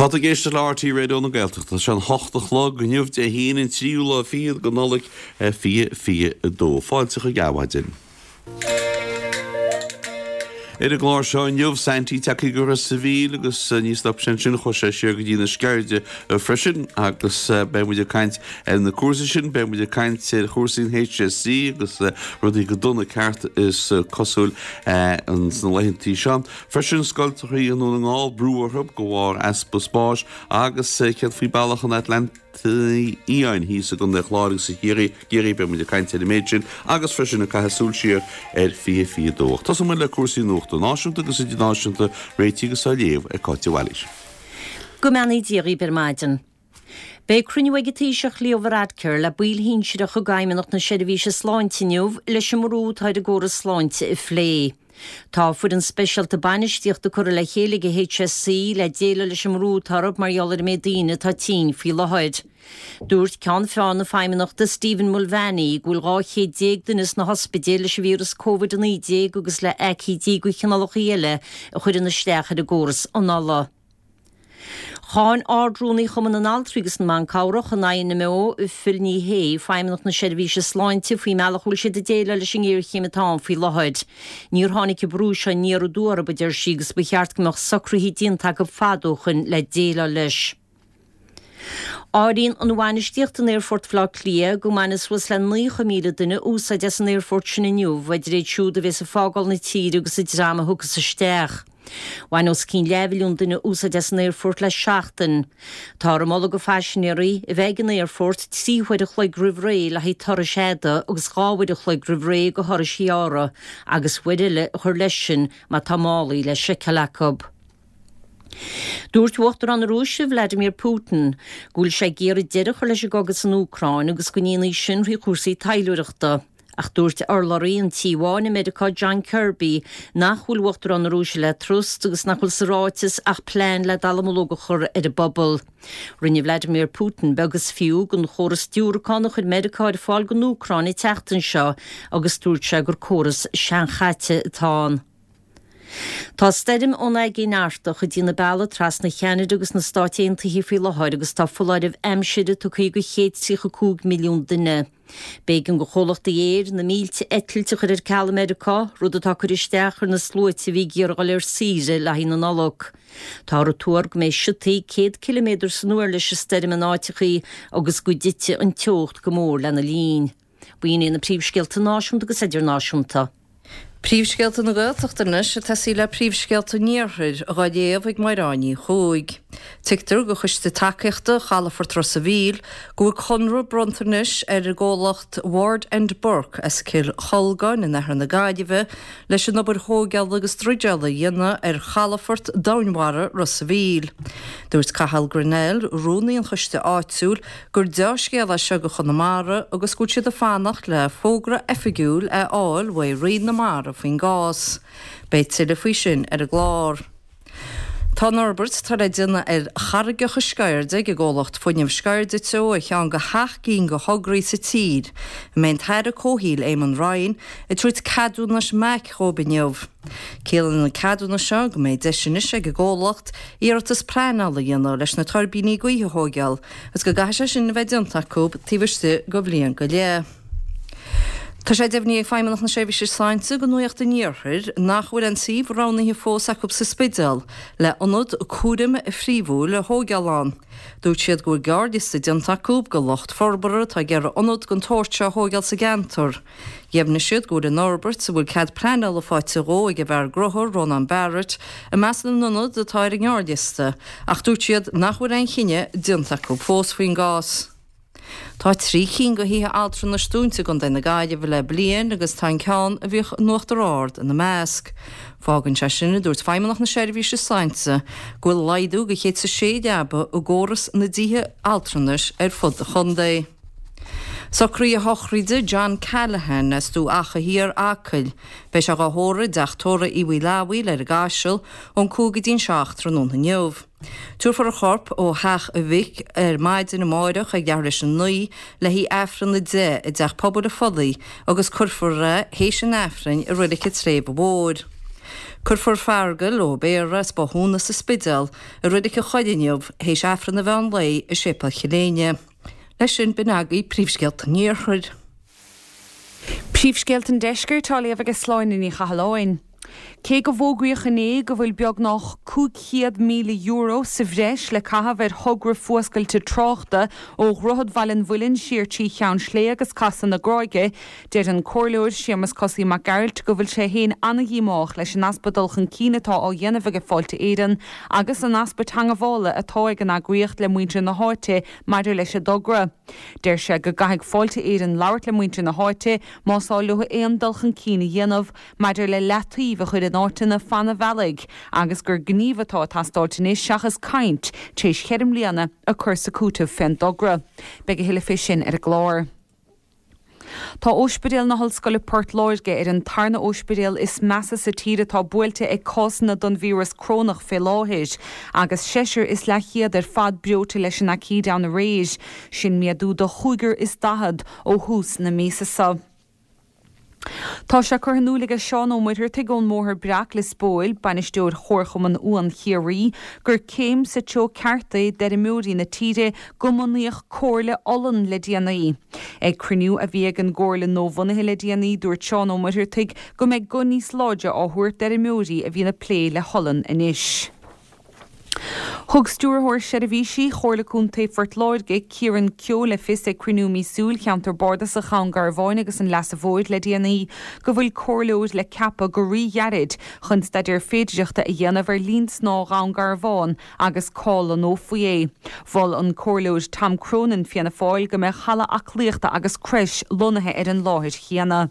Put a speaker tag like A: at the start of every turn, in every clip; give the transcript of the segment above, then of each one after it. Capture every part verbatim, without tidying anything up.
A: Tá tú ag éisteacht le RTÉ Raidió na Gaeltachta. Tá sé an hocht a chlog inniu Dé hAoine an tríú lá fichead de Nollaig fiche fiche a dó. Fáilte chuig Adhmhaidin. Ar an gclár seo inniu, Saintí tagtha go Ros a' Mhíl agus ní stop sé ansin, chuaigh sé siar go dtí na Sceirde freisin agus beidh muid ag caint ar na cúrsaí sin, beidh muid ag caint ar chúrsaí an HSE agus rudaí go dona ceart is cosúil sna laethantaí seo. Freisin scoilteacha i nDún na nGall, brú orthu de bharr easpa spáis agus céard faoi bealach an Atlantaigh Fhiáin thíos i gContae an Chláir agus i gCiarraí, gCiarraí, beidh muid ag caint ar an méid sin agus freisin ag caitheamh súil siar ar fiche fiche dó. Ach tosóidh muid le cúrsaí nuachta náisiúnta agus idirnáisiúnta, réitithe agus á léamh ag Cáit de Bhailís.
B: Go mbeannaí Dia dhaoibh ar maidin. Beidh cruinniú ag an Taoiseach Leo Varadkar le baill shinsearacha d'Fheidhmeannacht na Seirbhíse Sláinte inniu leis an mbrú atá ar an gcóras sláinte a phlé. Tá foireann speisialta bainistíochta curtha le chéile ag an HSE le déileáil leis an mbrú atá orthu mar gheall ar an méid daoine atá tinn faoi láthair. Dúirt Ceann Feadhain na Feidhmeannachta Stephen Mulvaney go bhfuil dhá chéad déag duine sna hospidéil leis an víreas Covid a naoi déag agus le haicídí de chineálacha eile a chuireann isteach ar an gcóras anála. Cháin Ard-Rúnaí Chumann na nAltraí agus na mBan Cabhrach, an INMO, Phil Ní Sheaghdha, Feidhmeannacht na Seirbhíse Sláinte faoin mbealach a bhfuil siad ag déileáil leis an ngéarchéim atá ann faoi láthair. Níor tháinig an brú seo aniar aduaidh orthu, a deir sí, agus ba cheart go mbeadh socruithe déanta acu fada ó shoin le déileáil leis. Áiríonn an bhainistíocht in Aerfort Bhaile Átha Cliath go mbainfidh suas le naocha míle duine úsáid as an aerfort sin inniu, idir iad siúd a bheas ag fágáil na tíre agus an dream a thiocfas isteach. Bhain os cionn leathmhilliún duine úsáid as an aerfort le seachtain. Táthar ag moladh do phaisinéirí a bheith ag an aerfort trí huair a chloig roimh ré le haghaidh turais fhada agus dhá uair a chloig roimh ré do thurais ghearra, agus uair eile a chur leis sin má tá málaí le seiceáil acu. Dúirt Uachtarán na Rúise, Vladimir Putin, go bhfuil sé ag iarraidh deireadh a chur leis an gcogadh san Úcráin agus go ndéanfaí sin thrí chúrsaí taidhleoireachta. Ach dúirt urlabhraí an Tí Bháin i Meiriceá John Kirby nach bhfuil Uachtarán na Rúise le trust agus nach bhfuil sa ráiteas ach plean le dallamullóg a chur ar an bpobal. Rinne Vladimir Putin beag is fiú den chóras diúracán a chuir Meiriceá ar fáil don Úcráin an tseachtain seo agus dúirt sé gur córas seanchaite atá ann. Tá stoirm ón Aigéan Artach ag déanamh bealaigh trasna Cheanada agus na Stáit Aontaithe faoi láthair agus tá foláireamh aimsire tugtha do chéad tríocha cúig milliún duine. B'éigean do chomhlachtaí aeir na mílte eitilt a chur ar ceal i Meiriceá, rud atá ag cur isteach ar na sluaite a bhí ag iarraidh dul ar saoire le haghaidh na Nollag. Táthar ag tuar go mbeidh siotaí céad ciliméadar san uair leis an stoirm in áiteachaí agus go dtitfidh an teocht go mór lena linn. B'in iad na príomhscéalta náisiúnta agus idirnáisiúnta.
C: Príomhscéalta na Gaeltachta anois ag tosaí le príomhscéalta an Iarthair, á léamh ag Mairéad Ní Chuaig. Tuigtear do Choiste Tacaíochta Chalafort Ros a' Mhíl go bhfuil conradh bronnta anois ar an gcomhlacht Ward and Burke as Cill Cholgáin in oirthear na Gaillimhe leis an obair thógála agus druideála a dhéanamh ar chalafort domhainmhara Ros a' Mhíl. Dúirt Cathal Grennell, rúnaí an choiste áitiúil, gur deá-scéal é seo do Chonamara agus go bhfuil siad ag fanacht le fógra oifigiúil a fháil uaidh Roinn na Mara faoin gcás. Beidh tuilleadh faoi sin ar an gclár. Tá an fhorbairt atá le déanamh ar charraigeacha Sceirde ag an gcomhlacht fuinnimh Sceirde Teo ar cheann de sheacht gcinn de thograí sa tír a mbeidh an tAire Comhshaoil Eamon Ryan ag tabhairt ceadúnais MAC dhóibh inniu. Ciallaíonn an ceadúnas seo go mbeidh deis anois ag an gcomhlacht iarratas pleanála a dhéanamh leis na tuirbíní gaoithe a thóigeáil agus go gcaithfidh sé sin a bheith déanta acu taobh istigh de bhliain go leith. Tá sé deimhnithe ag Feidhmeannacht na Seirbhíse Sláinte do Nuacht an Iarthair nach bhfuil aon suíomh roghnaithe fós acu sa Spidéal le ionad cúraim phríomhúil a thóigeáil ann. Dúirt siad go bhfuil gearrliosta déanta acu de lucht forbartha atá ag iarraidh ionad den tsórt seo a thóigeáil sa gceantar. Dheimhnigh siad go bhfuil an fhorbairt, a bhfuil cead pleanála faighte dhó ag an bhfear gnó Rónán Barrett, i measc na n-ionad atá ar an ngearrliosta, ach dúirt siad nach bhfuil aon chinneadh déanta acu fós faoin gcás. Tá trí cinn de thithe altranais dúnta i gContae na Gaillimhe le bliain agus tá an ceann a bhíodh in Uachtar Ard ina measc. Fágann sé sin, a dúirt Feidhmeannacht na Seirbhíse Sláinte, go bhfuil laghdú de chéad is a sé leaba i gcóras na dtithe altranais ar fud an chontae. Socruithe sochraide John Callaghan as Dumha Acha Thiar, Acaill. Beidh sé dhá thórramh i dteach tórraimh Uí Mhaoileabhail ar an gCaiseal ón cúig go dtí'n seacht tráthnóna inniu. Tabharfar a chorp ó theach a mhic ar maidin amáireach ag leathuair théis a naoi le haghaidh Aifreann a deich i dTeach Pobail an Phollaigh agus cuirfear é théis an Aifrinn i Reilig an tSléibhe Mhóir. Cuirfear Feargal Ó Béarra as Bothúna sa Spidéal i Reilig an Choire inniu théis Aifreann an mheán lae i Séipéal Chill Éinne. Leis sin b'in agaibh príomhscéalta an Iarthair.
D: Príomhscéalta an Deiscirt á léamh ag Sláine Ní Chathalláin. Cé go bhfógraíodh inné go bhfuil beagnach cúig chéad míle euro sa bhreis le caitheamh ar thogra fuascailte tráchta ó Dhroichead Bhaile an Mhuilinn siar trí Cheann Slé agus Casadh na Gráige, deir an Comhairleoir Séamus Cosaí Mac Gearailt go bhfuil sé féin an-dhíomách leis an easpa dul chun cinn atá á dhéanamh ag Fáilte Éireann agus an easpa teagmhála atá ag an eagraíocht le muintir na háite maidir leis an dtogra. Deir sé go gcaithfidh Fáilte Éireann labhairt le muintir na háite más áil leo aon dul chun cinn a dhéanamh maidir le leataobh a chur in áiteanna fan an bhealaigh agus gur gníomh atá ag teastáilt anois seachas caint tar éis cheithre mbliana a chur sa chúiteamh fén dtogra. Beidh a thuilleadh fé sin ar an gclár. Tá Ospidéal na hOllscoile Port Láirge ar an tarna ospidéal is measa sa tír atá buailte ag cásanna don víreas corónach fé láthair, agus seisear is leathchéad ar fad breoite leis an aicíd ann aréir, sin méadú de chúigear is daichead ó thús na míosa seo. Tá sé curtha in iúl aige Seán Ó Muircheartaigh ón mBóthar Breac, Lios Póil, bainisteoir Chomharchumann Uan Chiarraí, gur céim sa treo ceart é d'fheirmeoirí na tíre go mbunaíodh Comhairle Olann le déanaí. Ag cruinniú a bhí ag an gComhairle nuabhunaithe le déanaí, dúirt Seán Ó Muircheartaigh go mbeidh guth níos láidre á thabhairt d'fheirmeoirí a bhíonn ag plé le holann anois. Thug Stiúrthóir Seirbhísí Chomhairle Contae Phort Láirge, Kieran Keogh le fios ag cruinniú míosúil Cheantar Bardasach Dhún Garbhán agus an Leasa Mhóir le déanaí go bhfuil comhairleoir le ceapadh go ríghairid chun staidéar féidearthachta a dhéanamh ar linn snámha Dhún Garbhán agus cá lonnófaí é. Mhol an Comhairleoir Tom Cronin, Fianna Fáil, go mbeadh halla aclaíochta agus creis lonnaithe ar an láthair chéanna.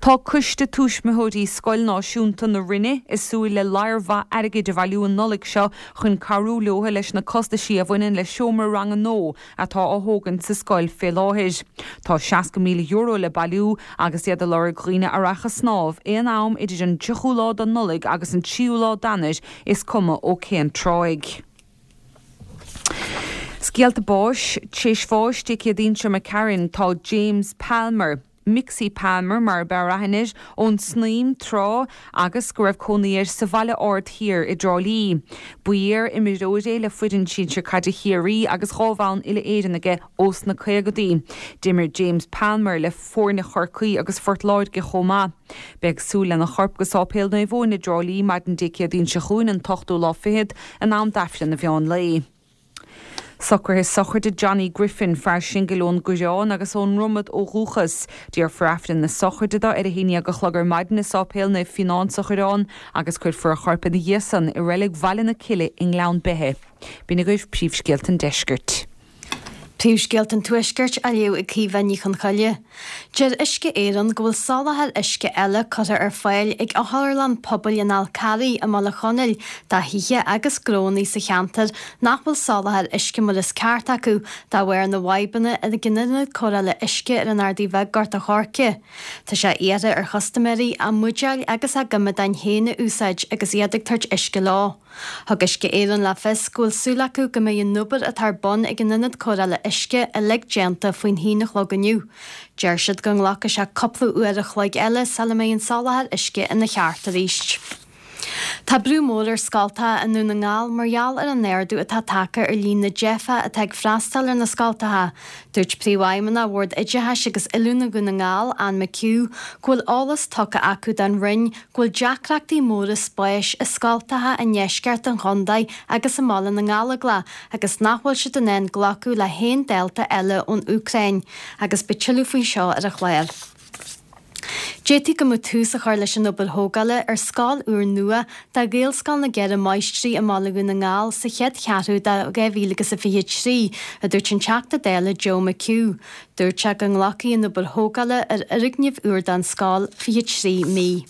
D: Tá Coiste Tuismitheoirí Scoil Náisiúnta na Rinne ag súil le lear mhaith airgid a bhailiú an Nollaig seo chun cabhrú leo leis na costaisí a bhaineann le seomra ranga nua atá á thógaint sa scoil fé láthair. Tá seasca míle euro le bailiú agus iad ag lorg dhaoine a rachadh ag snámh aon am idir an tríochú lá den Nollaig agus an tríú lá d'Eanáir is cuma ó cén tráigh. Scéalta báis, Tar éis bháis Dé Céadaoin seo imigh tharainn tá James Palmer, Mixie Palmer mar ab fhearr aithne air, ón Snaidhm tráth agus go raibh cónaí air sa Bhaile Ard Thiar i dTrá Lí. Ba iar-imreoir é le foireann sinsir caide Chiarraí agus dhá bhonn uile-Éireann aige ós na caogadaí. D'imir James Palmer le foirne Chorcaí agus Phort Láirge chomh maith. Beidh súil lena chorp go Sáipéal Naomh Eoin i dTrá Lí maidin Dé Céadaoin seo chugainn an t-ochtú lá fichead in am d'Aifreann an mheán lae. Socruithe sochraide Johnny Griffin, fear singil ón gCoireán agus ón nDromad ó dhúchas. Déarfar Aifreann na sochraide dó ar a haon déag a chlog ar maidin i Sáipéal Naomh Fionán sa Choireán agus cuirfear a chorp ina dhiaidh san i reilig Bhaile na Cille i nGleann Beithe. B'in agaibh príomhscéalta an deiscirt.
E: Príomhscéalta an Tuaiscirt á léamh ag Caoimhe Ní Chonchoille. Deir Uisce Éireann go bhfuil soláthar uisce eile curtha ar fáil ag Otharlann Pobail an Fhál Carraigh i mBaile Chonaill do thithe agus gnónna sa cheantar nach bhfuil soláthar uisce mar is ceart acu de bharr na bhfadhbanna ag an ionad cóireála uisce ar an Ardaidh Bheag Gort a' Choirce. Tá sé iarrtha ar chustaiméirí a mbuidéil agus a gcoimeádáin féin a úsáid agus iad ag tabhairt uisce leo. Thug Uisce Éireann le fios go bhfuil súil acu go mbeidh an obair atá ar bun ag an ionad cóireála uisce uilig déanta faoin haon a chlog inniu. Deir siad go nglacfaidh sé cúpla uair a chloig eile sula mbeidh an soláthar uisce ina cheart arís. Tá brú mór ar scoltacha i nDún na nGall mar gheall ar an ardú atá tagtha ar líon na dteifeach atá ag freastal ar na scoltacha. Dúirt Príomhfheidhmeannach Bhord Oideachais agus Oiliúna Dhún na nGall, Anne McHugh, go bhfuil eolas tugtha acu don Roinn go bhfuil deacrachtaí móra spáis i scoltacha i ndeisceart an chontae agus i mBaile na nGallóglach agus nach bhfuil siad in ann glacadh le haon dalta eile ón Úcráin. Agus beidh tuilleadh faoi seo ar an chlár. D'fhéadfaí go mbeadh tús a chur leis an obair thógála ar scoil úr nua do Ghaelscoil na gCeithre Máistrí i mBaile Dhún na nGall sa chéad cheathrú de dhá mhíle agus a fiche trí, a dúirt an Teachta Dála Joe McHugh. Dúirt sé go nglacfaidh an obair thógála ar fhoirgneamh úr don scoil fiche trí mí.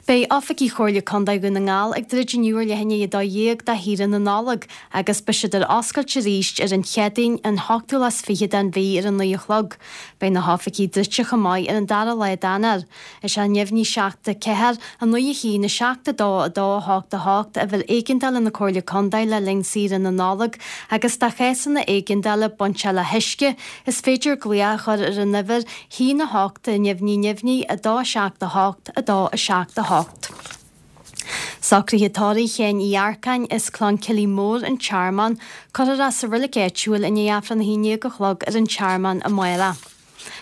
E: Beidh oifigí Chomhairle Contae Dhún na nGall ag druid inniu ar leath i ndiaidh a dó dhéag do shaoire na Nollag agus beidh siad ar oscailt arís ar an Chéadaoin an hochtú lá is fiche den mhí ar a naoi a chlog. Beidh na hoifigí druidte chomh maith ar an dara lá d'Eanáir. Is é neamhní seacht a ceathair, a naoi a haon, a seacht a dó, a dó a hocht a hocht uimhir éigeandála na Comhairle Contae le linn saoire na Nollag agus do chásanna éigeandála bainteach le huisce, is féidir glaoch a chur ar an uimhir haon a hocht neamhní neamhní, a dó seacht a hocht, a dó a seacht. seacht a hocht. Socruithe tórraimh Sheáin Uí Earcáin as Cloncilly Mór, An Tearmann, cuirfear é sa reilig áitiúil i ndiaidh Aifreann a haon déag a chlog ar an Tearmann amárach.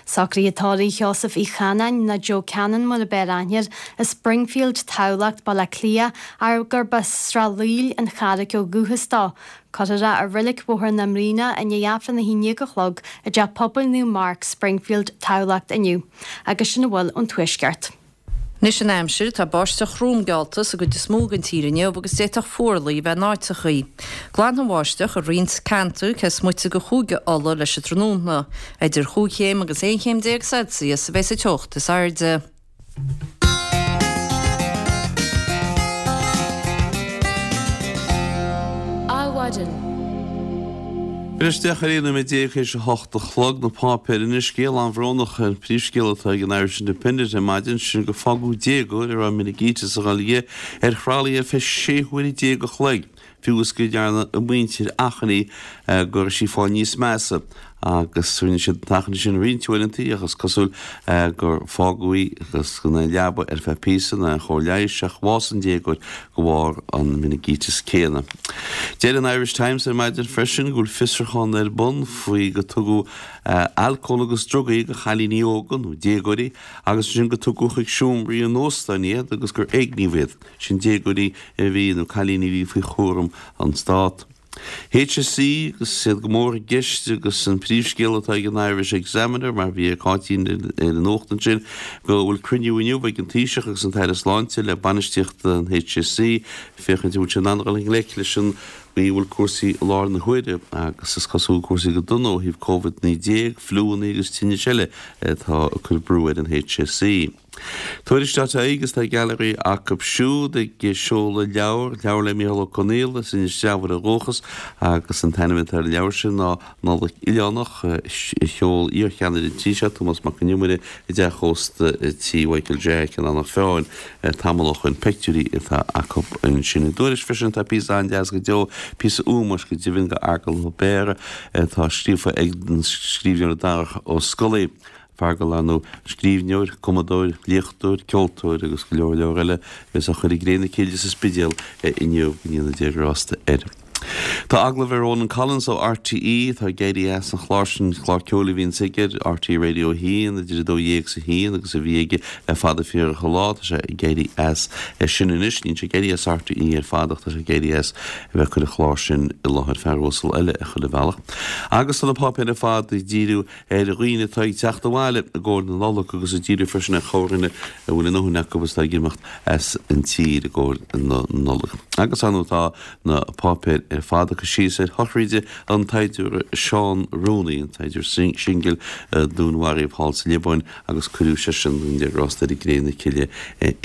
E: Socruithe tórraimh Sheosaimh Uí Chanáin, nó Joe Cannon mar ab fhearr aithne air, as Springfield, Tamhlacht, Baile Átha Cliath, ach gurb as Srath Laoil, An Charraic ó dhúchas dó. Cuirfear é i reilig Bhóthar na mBraonach i ndiaidh Aifreann a haon déag a chlog i dTeach Pobail Naomh Marc, Springfield, Tamhlacht inniu. Agus sin a bhfuil ón Tuaisceart.
C: Anois an aimsir, tá báisteach throm geallta sa gcuid is mó den tír inniu agus d'fhéadfadh fuarlaigh a bheith in áiteachaí. Glanfaidh an bháisteach i roinnt ceantar cé is moite de Chúige Uladh leis an tráthnóna. Idir chúig chéim agus aon chéim déag Celsius a bheidh sa teocht is airde.
A: Adhmhaidin. Anois deich ar aon nóiméad déag théis a hocht a chlog, na páipéir anois. Scéal an-bhrónach an príomhscéal atá ag an Irish Independent ar maidin, sin gur fágadh déagóir a raibh meiningíteas ag dul dhi ar thralaí ar feadh sé huaire déag a chloig, fiú is go ndearna a muintir achainí go raibh sí ag fáil níos measa. Agus rinne siad an t-achainí sin roinnt uaireanta ach is cosúil gur fágadh í agus gan aon leaba ar feadh píosa ná aon chóir leighis ach bhásaigh an déagóir de bharr an meiningíteas céanna. Deir an Irish Times ar maidin freisin go bhfuil fiosrúchán ar bun faoi go tugadh alcól agus drugaí do chailíní óga nó déagóirí agus ansin go tugadh chuig seomraí in óstáin iad agus gur éigníodh iad. Sin déagóirí a bhí nó cailíní a bhí faoi chúram an Stát. HSE agus iad go mór i gceist agus an príomhscéal atá ag an Irish Examiner, mar bhí ag Cáitín ar an nuacht ansin, go bhfuil cruinniú inniu ag an Taoiseach agus an tAire Sláinte le bainistíocht an HSE féachaint an bhfuil siad in ann dul i ngleic leis an gcaoi a bhfuil cúrsaí i láthair na huaire agus is cosúil cúrsaí go dona ó thaobh Covid naoi déag, fliúanna agus tinnis eile atá ag cur brú ar an HSE. Tuairisc dot ie agus tá gailearaí acu siúd ag seoladh leabhar, leabhar le Mícheál Ó Conaola as Inis Treabhair ó dhúchas agus an t-ainm atá ar an leabhar sin ná Nollaig Oileánach, a sheol iarcheannaire an tí seo, Tomás Mac Con Iomaire, i dteach ósta tí Mhichael Jack in Eanach Mheáin tamall ó shoin. Peictiúirí atá acu ansin. I dTuairisc freisin tá píosa an-deas go deo, píosa ómóis go deimhin do Fheargal Ó Béarra atá scríofa ag an scríbhneoir Darach Ó Scolaí. Feargal, ar ndóigh, scríbhneoir, cumadóir, léachtóir, ceoltóir agus go leor leor eile a bheas á chur i gcré na cille sa Spidéal inniu, go ndéana Dia grásta air. Tá agallamh ar Ronan Collins ó RTÉ, atá ag éirí as an chlár sin, clár ceoil a bhíonns aige ar RTÉ Radio a haon idir a dó dhéag is a haon agus a bhí aige le fada fíorach an lá. Tá sé ag éirí as sin anois. Níl sé ag éirí as RTÉ ar fad ach tá sé ag éirí as a bheith ag cur an chláir sin i láthair, fear uasal eile a chuile bhealach. Agus tá na páipéir ar fad ag díriú ar dhaoine atá ag teacht abhaile i gcomhair na Nollag agus ag díriú freisin ar chorrdhuine a bhfuil a ndóthain acu agus atá ag imeacht as an tír i gcomhair na Nollag. Agus ar ndóigh tá na páipéir ar fad ag cur síos ar shochraide an tsaighdiúra Seán Rooney, an tsaighdiúir singil a dúnmharaíodh thall sa Liobáin agus cuireadh seisean go ndéana Dia grásta air i gcré na cille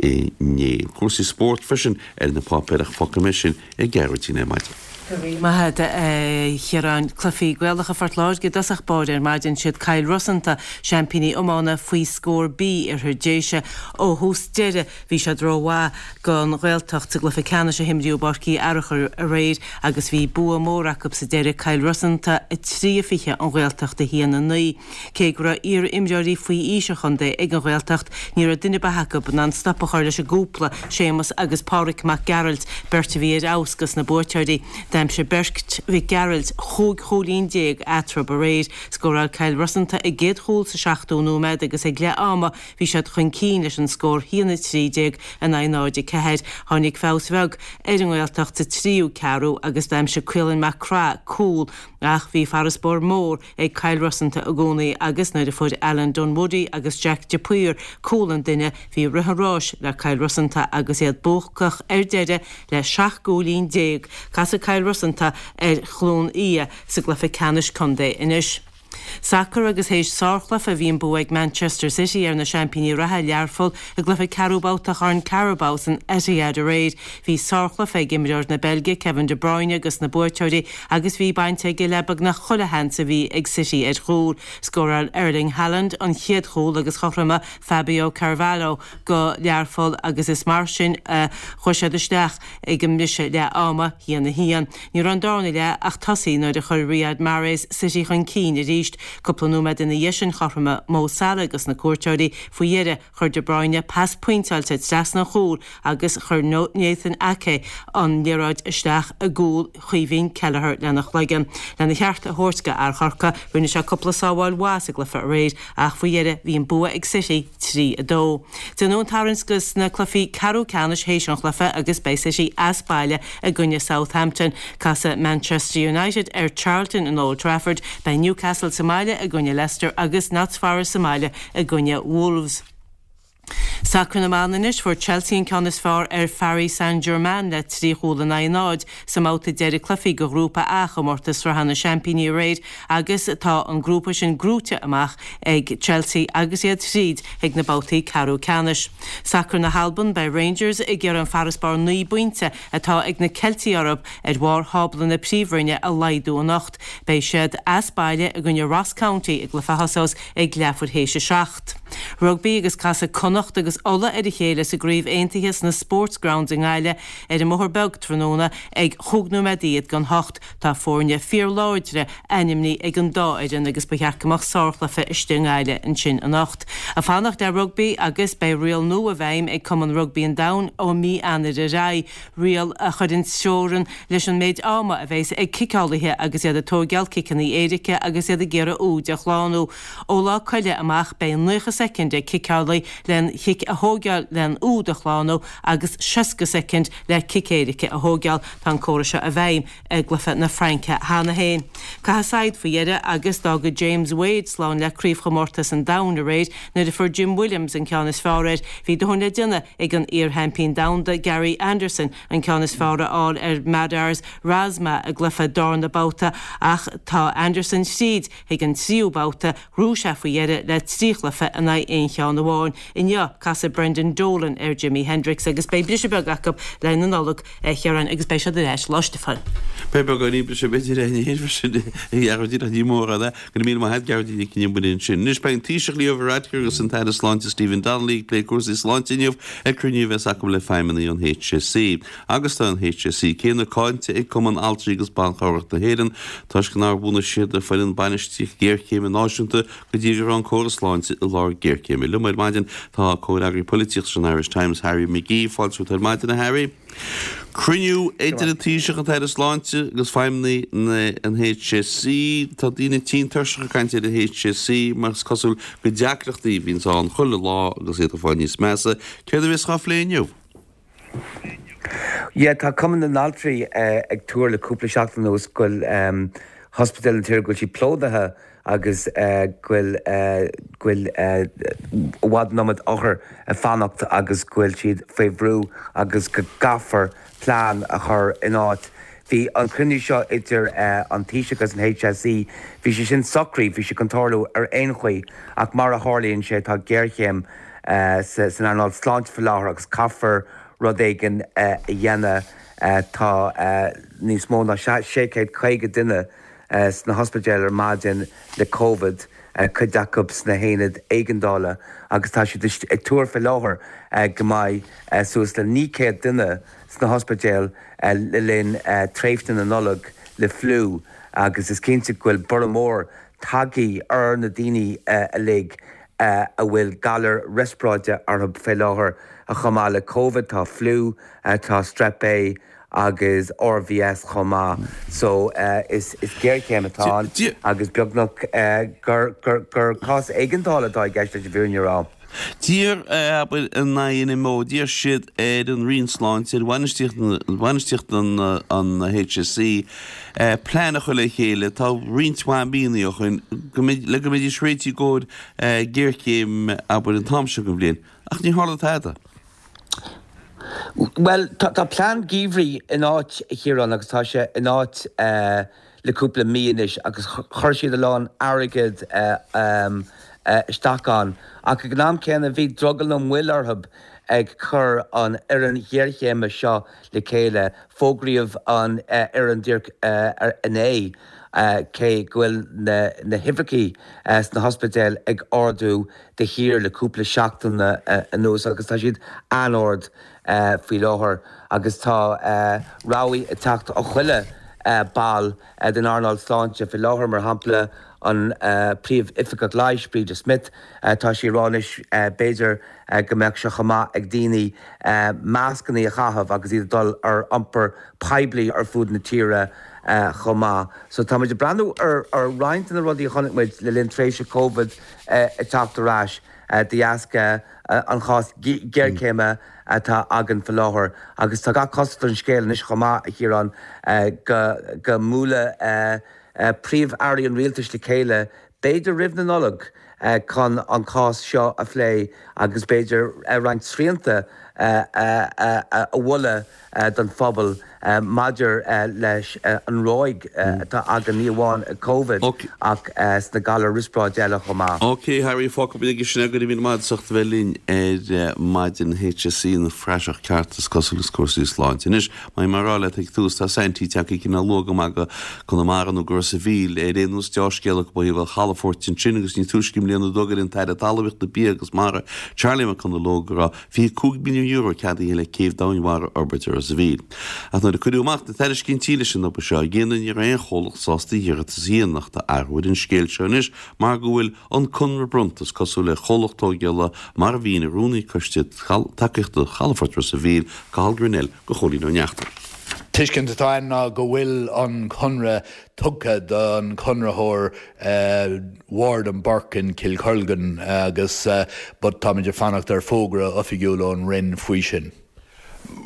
A: inné. Cúrsaí spóirt freisin ar na páipéir ach fágfaidh mé sin i gCeathrú ar maidin.
F: Go raibh maith agat, a Chiaráin. Cluichí Gaelacha Phort Láirge i dtosach báire ar maidin. Siad Cill Rosanta, seaimpíní iomána faoi scór B Oirthear Déise. Ó thús deireadh bhí siad rómhaith don Ghaeltacht sa gcluiche ceannais a himríodh i bPáirc Uí Fhearchair aréir agus bhí bua mór acu sa deireadh, Cill Rosanta a trí a fiche, an Ghaeltacht a haon a naoi. Cé go raibh iar-imreoirí faoi aois an chontae ag an Ghaeltacht, ní raibh duine ar bith acu in ann stop a chur leis an gcúpla, Séamus agus Páraic Mac Gearailt, beirt a bhí ar fheabhas dos na buaiteoirí. D'aimsigh beirt Mhic Gearailt chúig chúilín déag eatarthu aréir. Scóráil Cill Rosanta a gcéad chúl sa seachtú nóiméad agus ag leath ama bhí siad chun cinn leis an scór haon a trí déag in aghaidh náid a ceathair. Tháinig feabhas bheag ar an nGaeltacht sa tríú ceathrú agus d'aimsigh Caolan Mac Craith cúl ach bhí farasbarr mór ag Cill Rosanta i gcónaí agus nuair a fuair Alan Dunwoody agus Jack de Paor cúl an duine bhí rith an ráis le Cill Rosanta agus iad buacach ar deireadh le seacht gcúilín déag. Casfaidh Cill Rosanta ar Chluain Fhia sa gcluiche ceannais contae anois. Sacar agus théis sárchluiche bhí an bua ag Manchester City ar na seaimpíní reatha, Learpholl, i gcluiche ceathrú babhta Chorn Carabao san Etihad aréir. Bhí sárchluiche ag imreoir na Beilge, Kevin De Bruyne dos na buaiteoirí agus bhí baint aige le beagnach chuile sheans a bhí ag City ar chúl. Scóráil Erling Haaland an chéad chúl agus chothromaigh Fabio Carvalho do Learpholl agus is mar sin a chuaigh siad isteach ag an mbriseadh leath ama, a haon a haon. Ní raibh an darna leath ach tosaithe nuair a chuir Riyad Mahrez City chun cinn arís. arís. Cúpla nóiméad ina dhiaidh sin chothromaigh Mo Salah dos na cuairteoirí. Faoi dheireadh, chuir De Bruyne pas pointeáilte trasna an chúil agus chuir Nathan Ake an liathróid isteach i gcúl Chaoimhín Kelleher lena chloigeann. Lena cheart a thabhairt do fhear Chorcaí, rinne sé cúpla sábháil mhaith sa gcluiche aréir ach faoi dheireadh bhí an bua ag City trí a dó. Déanadh an tarraingt dos na cluichí ceathrú ceannais théis an chluiche agus beidh City as baile i gcoinne Southampton. Casfaidh Manchester United ar Charlton in Old Trafford, beidh Newcastle sa mbaile i gcoinne Leicester agus Notts Forest sa mbaile i gcoinne Wolves. Sacar na mban anois, fuair Chelsea an ceann is fearr ar Pharis Saint-Germain le trí chúl in aghaidh náid sa mbabhta deiridh cluichí de Ghrúpa A chomórtas Sraithe na Seaimpíní aréir agus tá an grúpa sin gnóite amach ag Chelsea agus iad tríd chuig na babhtaí ceathrú ceannais. Sacar na hAlban, beidh Rangers ag iarraidh an farasbarr naoi bpointe atá ag na Ceiltigh orthu ar bharr thábla na Príomhroinne a laghdú anocht. Beidh siad as baile i gcoinne Ross County i gcluiche a thosós ag leathuair théis a seacht. Rugbaí agus casfaidh Connacht agus Ulaidh ar a chéile sa gCraobh Aontaithe sna Sportsgrounds i nGaillimh ar an mBóthar Beag tráthnóna ag chúig nóiméad don hocht. Tá foirne fíorláidre ainmnithe ag an dá fhoireann agus ba cheart go mbeadh sárchluiche istigh i nGaillimh ansin anocht. Ag fanacht le rugbaí agus beidh riail nua i bhfeidhm ag Cumann Rugbaí an Domhain ó mhí Eanáir ar aghaidh, riail a chuireann teorainn leis an méid ama a bheas ag ciceálaithe agus iad ag tóigeáil ciceanna éirice agus iad ag iarraidh úid a shlánú. Ó Lá Coille amach beidh naocha soicind ag ciceálaí len chic a thóigeáil len úd a shlánú agus seasca soicind le cic éirice a thóigeáil. Tá an córas seo i bhfeidhm i gcluiche na Fraince cheana féin. Caitheadh saighead faoi dheireadh agus d'fhága James Wade slán le Craobhchomórtas an Domhain aréir nuair a fuair Jim Williams an ceann is fearr air. Bhí dóthain le déanamh ag an iar-sheaimpín domhanda Gary Anderson an ceann is fearr a fháil ar Madars Razma i gcluiche darna babhta ach tá Anderson tríd chuig an tríú babhta. Ghnóthaigh sé faoi dheireadh le trí chluiche in aghaidh aon cheann amháin. Inniu, casfaidh Brendan Dolan ar Jimi Hendrix agus beidh briseadh beag acu le haghaidh na Nollag, a Chiaráin, agus beidh siad ar ais Lá Stiofáin.
A: Beidh beagáinín briseadh b'fhéidir ar an freisin, a Ghearóidín, ach ní mór é. Go raibh míle maith agat, Gearóidín Nic an Iomaire ansin. Anois beidh an Taoiseach Leo Varadkar agus an tAire Sláinte Stephen Donnelly ag plé cúrsaí sláinte inniu ag cruinniú a bheas acu le feidhmeannaigh an HSE. Agus tá an HSE céanna cáinte ag Cumann Altraí agus Ban Cabhrach na hÉireann toisc nár bhunaigh siad foireann bainistíocht géarchéime náisiúnta go dtí go raibh an córas sláinte i lár géarchéime. Liom ar maidin tá comhfhreagraí polaitíochta san Irish Times, Harry McGee. Fáilte romhat ar maidin, a Harry. Cruinniú idir an Taoiseach, an tAire Sláinte agus feidhmeannaigh an HSE. Tá daoine tinn tuirseach ag caint ar an HSE mar is cosúil gur deacrachtaí a bhíonns ann chuile lá agus iad ag fáil níos measa. Céard a bheas á phlé inniu?
G: Yeah, tá Cumann na nAltraí ag tuar le cúpla seachtain anuas go bhfuil hospidéil na tíre go bhfuil siad plódaithe agus go bhfuil go bhfuil i bhfad an iomad othar ag fanacht agus go bhfuil siad faoi bhrú agus go gcaithfear plean a chur in áit. Bhí an cruinniú seo idir an Taoiseach agus an HSE, bhí sé sin socraithe, bhí sé chun tarlú ar aon chaoi ach mar a tharlaíonn sé tá géarchéim san earnáil sláinte faoi láthair agus caithfear rud éigin a dhéanamh. Tá níos mó ná sé chéad caoga duine sna hospidéil ar maidin le Covid, cuid acu sna haonaid éigeandála agus tá siad ag tuar faoi láthair go mbeidh suas le naoi céad duine sna hospidéil le linn tréimhse na Nollag le fliú agus is cinnte go bhfuil borradh mór tagtha ar na daoine uilig a bhfuil galar riospráide orthu faoi láthair chomh maith le Covid, tá fliú, tá Strep A agus RVS chomh maith. So is géarchéim atá ann agus beagnach gur gur cás éigeandála atá i gceist leis an bhfírinne a rá.
A: D'iarr, abair, an INMO, d'iarr siad ar an Roinn Sláinte, ar bhainistíocht an HSE, plean a chur le chéile, tá roinnt mhaith míonna ó shin, le go mbeidís réitithe i gcomhair géarchéim, abair, an t-am seo den bhliain. Ach níor tharla tada.
G: Bhuel, tá plean geimhridh in áit, a Chiaráin, agus tá sé in áit le cúpla mí anois agus chuir siad a lán airgid isteach ann. Ach ag an am céanna bhí drogall nó moill orthu ag cur an fhoireann ghéarchéime seo le chéile. Fógraíodh an fhoireann díreach inné, cé go bhfuil na huimhreacha sna hospidéil ag ardú de shíor le cúpla seachtain anuas agus tá siad an-ard faoi láthair agus tá rabhaidh ag teacht ó chuile ball den earnáil sláinte faoi láthair, mar shampla an Príomh-Oifigeach Leighis, Breda Smith, tá sí ag rá anois b'fhéidir go mbeadh sé chomh maith ag daoine mascanna a chaitheamh agus iad ag dul ar iompar poiblí ar fud na tíre chomh maith. So tá muid ag breathnú ar roinnt de na rudaí a chonaic muid le linn tréimhse Covid ag teacht ar ais de dheasca an chás géarchéime atá againn faoi láthair agus tá gach cosúlacht ar an scéal anois chomh maith, a Chiaráin, go mbuailfidh príomh-airí an rialtais le chéile, b'fhéidir roimh na Nollag, chun an cás seo a phlé agus b'fhéidir roinnt srianta a mholadh don phobal maidir leis an ráig atá againn, ní amháin Covid ach sna galair riospráide eile chomh maith.
A: Ok Harry, fágfaidh muid aige sin é, go raibh míle maith agat as ucht a bheith linn ar maidin. HSE ina phraiseach ceart is cosúil is cúrsaí sláinte. Anois, mar a bhí mé a rá leat ag tús, tá Saintí tagtha cineál luath go maith go Conamara nó go Ros a' Mhíl ar aon nós deá-scéala ó thaobh an chalafoirt ansin agus ní túisce i mbliana a d'fhógair an tAire Talmhaíochta, Bia agus Mara, Charlie McConalogue go raibh fiche cúig milliún euro ceadaithe le céibh domhainmhara a fhorbairt i Ros a' Mhíl. Ach nuair a cuireadh amach na tairiscintí leis an obair seo a dhéanamh ní raibh aon chomhlacht sásta iarratas a dhéanamh ach tá athrú ar an scéal seo anois mar go bhfuil an conradh bronnta is cosúil ar chomhlacht tógála mar a mhínigh Rúnaí Coiste Tacaíochta Chalafort Ros a' Mhíl, Cathal Grennell do Chóilín Ó Neachtain.
H: Tuiscint atá ann ná go bhfuil an conradh tugtha don chonraitheoir Ward and Burke in Kilcolgan agus but táimid ag fanacht ar fógra oifigiúil ón Roinn faoi sin.